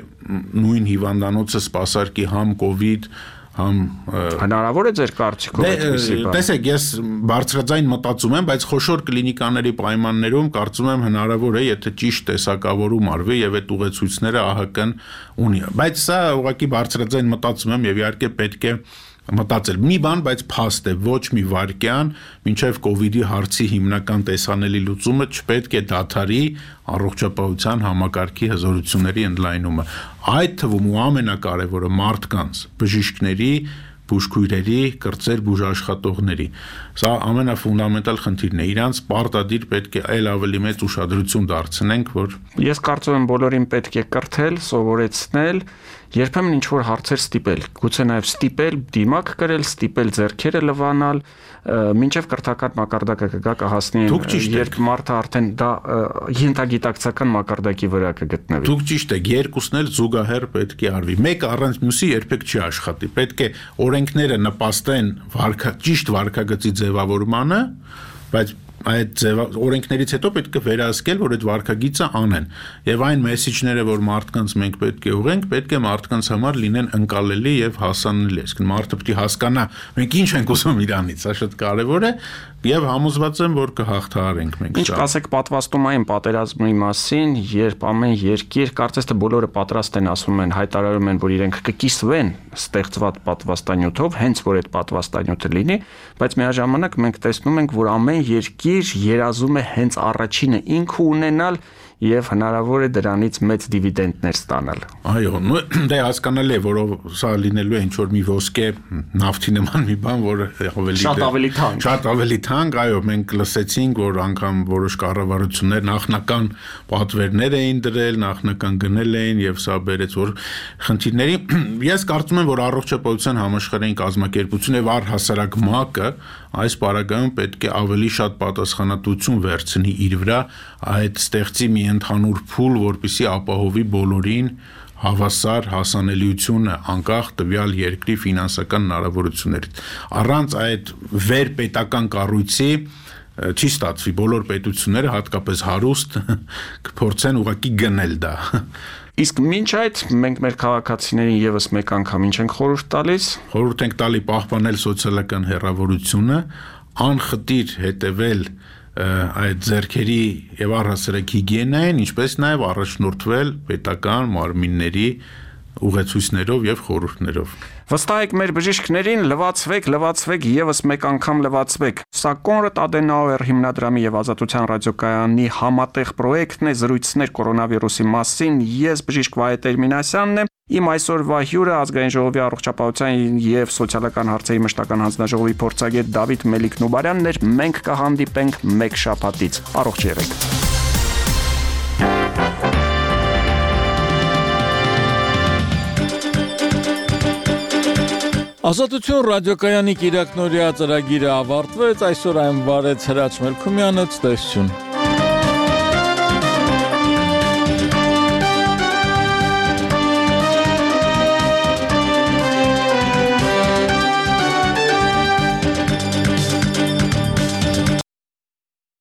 նույն հիվանդանոցը սպասարկի համ կոവിഡ് հնարավոր է ձեր կարծիքով այդպեսի բան։ Տեսեք, ես բարձրաձայն մտածում եմ, բայց խոշոր կլինիկաների պայմաններում կարծում եմ հնարավոր է, եթե ճիշտ տեսակավորում արվի եւ այդ ուղեցույցները ԱՀԿ-ն ունի։ Բայց սա ուղղակի բարձրաձայն մտածում եմ եւ իհարկե պետք է մտածել մի բան, բայց փաստ է, ոչ մի վարքյան, մինչև կոവിഡ്ի հարցի հիմնական տեսանելի լուծումը չպետք է դադարի առողջապահության համակարգի հզորությունների ընդլայնումը։ Այդ թվում ու ամենակարևորը մարդկանց, բժիշկների, բուժքույրերի, կրծեր բուժաշխատողների։ Սա ամենաֆունդամենտալ խնդիրն է։ Իրանց պարտադիր պետք է այլ ավելի մեծ ուշադրություն դարձնենք, որ ես կարծում եմ բոլորին պետք է կրթել, սովորեցնել, երբեմն ինչ որ հարցեր ստիպել, գուցե նաև ստիպել դիմակ կրել, ստիպել ձեռքերը լվանալ, մինչև կրթական մակարդակը կգա կհասնի, երբ մարդը արդեն դա ենթագիտակցական մակարդակի վրա կգտնվի։ Դուք ճիշտ եք, երկուսն էլ զուգահեռ պետք է արվի։ Մեկը առանց մյուսի երբեք չի աշխատի։ Պետք է օրենքները նպաստեն ճիշտ վարքագծի ձևավորմանը, բայց այդ օրենքներից հետո պետք է վերահսկել, որ այդ վարքագիծը անեն։ Եվ այն մեսեջները, որ մարդկանց մենք պետք է ուղենք, պետք է մարդկանց համար լինեն ընկալելի եւ հասանելի։ Այսինքն մարդը պետք է հասկանա, մենք ինչ ենք ուզում իրանից, սա շատ կարեւոր է եւ համոզված եմ, որ կհաղթահարենք մենք։ Ինչ կասեք պատվաստումային պատերազմի մասին, երբ ամեն երկիր, կարծես թե բոլորը պատրաստ են, ասում են, հայտարարում են, որ իրենք կկիսվեն ստեղծված պատվաստանյութով, հենց որ այդ պատվաստանյութը լինի, բայց միաժամանակ մենք տեսնում ենք, որ ամեն երկիր երազում է հենց առաջինը ինքը ունենալ եւ հնարավոր է դրանից մեծ դիվիդենդներ ստանալ։ Այո, դե հասկանալի է, որով սա լինելու է ինչ որ մի ոսկե նավթի նման մի բան, որը շատ ավելի թանկ, այո, մենք լսեցինք, որ անգամ որոշ կառավարություններ նախնական պատվերներ էին դրել, նախնական գնել էին եւ սա բերեց որ խնդիրների։ Ես կարծում եմ, որ առողջապահության համաշխարհային կազմակերպությունը եւ առհասարակ ՄԱԿ-ը այս պարագայում պետք է ավելի շատ պատասխանատվություն վերցնի իր վրա, այդ ստեղծի մի ընդհանուր փուլ, որպեսզի ապահովի բոլորին հավասար հասանելիությունը անկախ տվյալ երկրի ֆինանսական հնարավորություններից։ Առանց այդ վերպետական կառույցի չի ստացվի, բոլոր պետությունները, հատկապես հարուստ, կփորձեն ուղղակի գնել դա։ Իսկ մինչ այդ մենք մեր քաղաքացիներին եւս մեկ անգամ ինչ ենք խորհուրդ տալիս։ Խորհուրդ ենք տալի պահպանել սոցիալական հեռավորությունը, անխտիր հետևել այդ ձեռքերի եւ առհասարակ հիգիենային, ինչպես նաեւ առաջնորդվել պետական մարմինների ուղեցույցներով եւ խորհուրդներով։ Վստահեք մեր բժիշկներին, լվացվեք եւս մեկ անգամ լվացվեք։ Սա Կոնրադ Ադենաուեր հիմնադրամի եւ Ազատության ռադիոկայանի համատեղ պրոյեկտն է զրույցներ կորոնավիրուսի մասին։ Ես բժիշկ Վահե Տերմինասյանն եմ։ Իմ այսօրվա հյուրը Ազգային ժողովի առողջապահության եւ սոցիալական հարցերի մշտական հանձնաժողովի փորձագետ Դավիթ Մելիք-Նուբարյանն էր։ Մենք կհանդիպենք մեկ շաբաթից։ Առողջ եղեք։ Ազատություն ռադիոկայանի կիրակնօրյա ծրագիրը ավարտվեց, այսօր այն վարեց Հրաչ Մելքումյանը, ցտեսություն։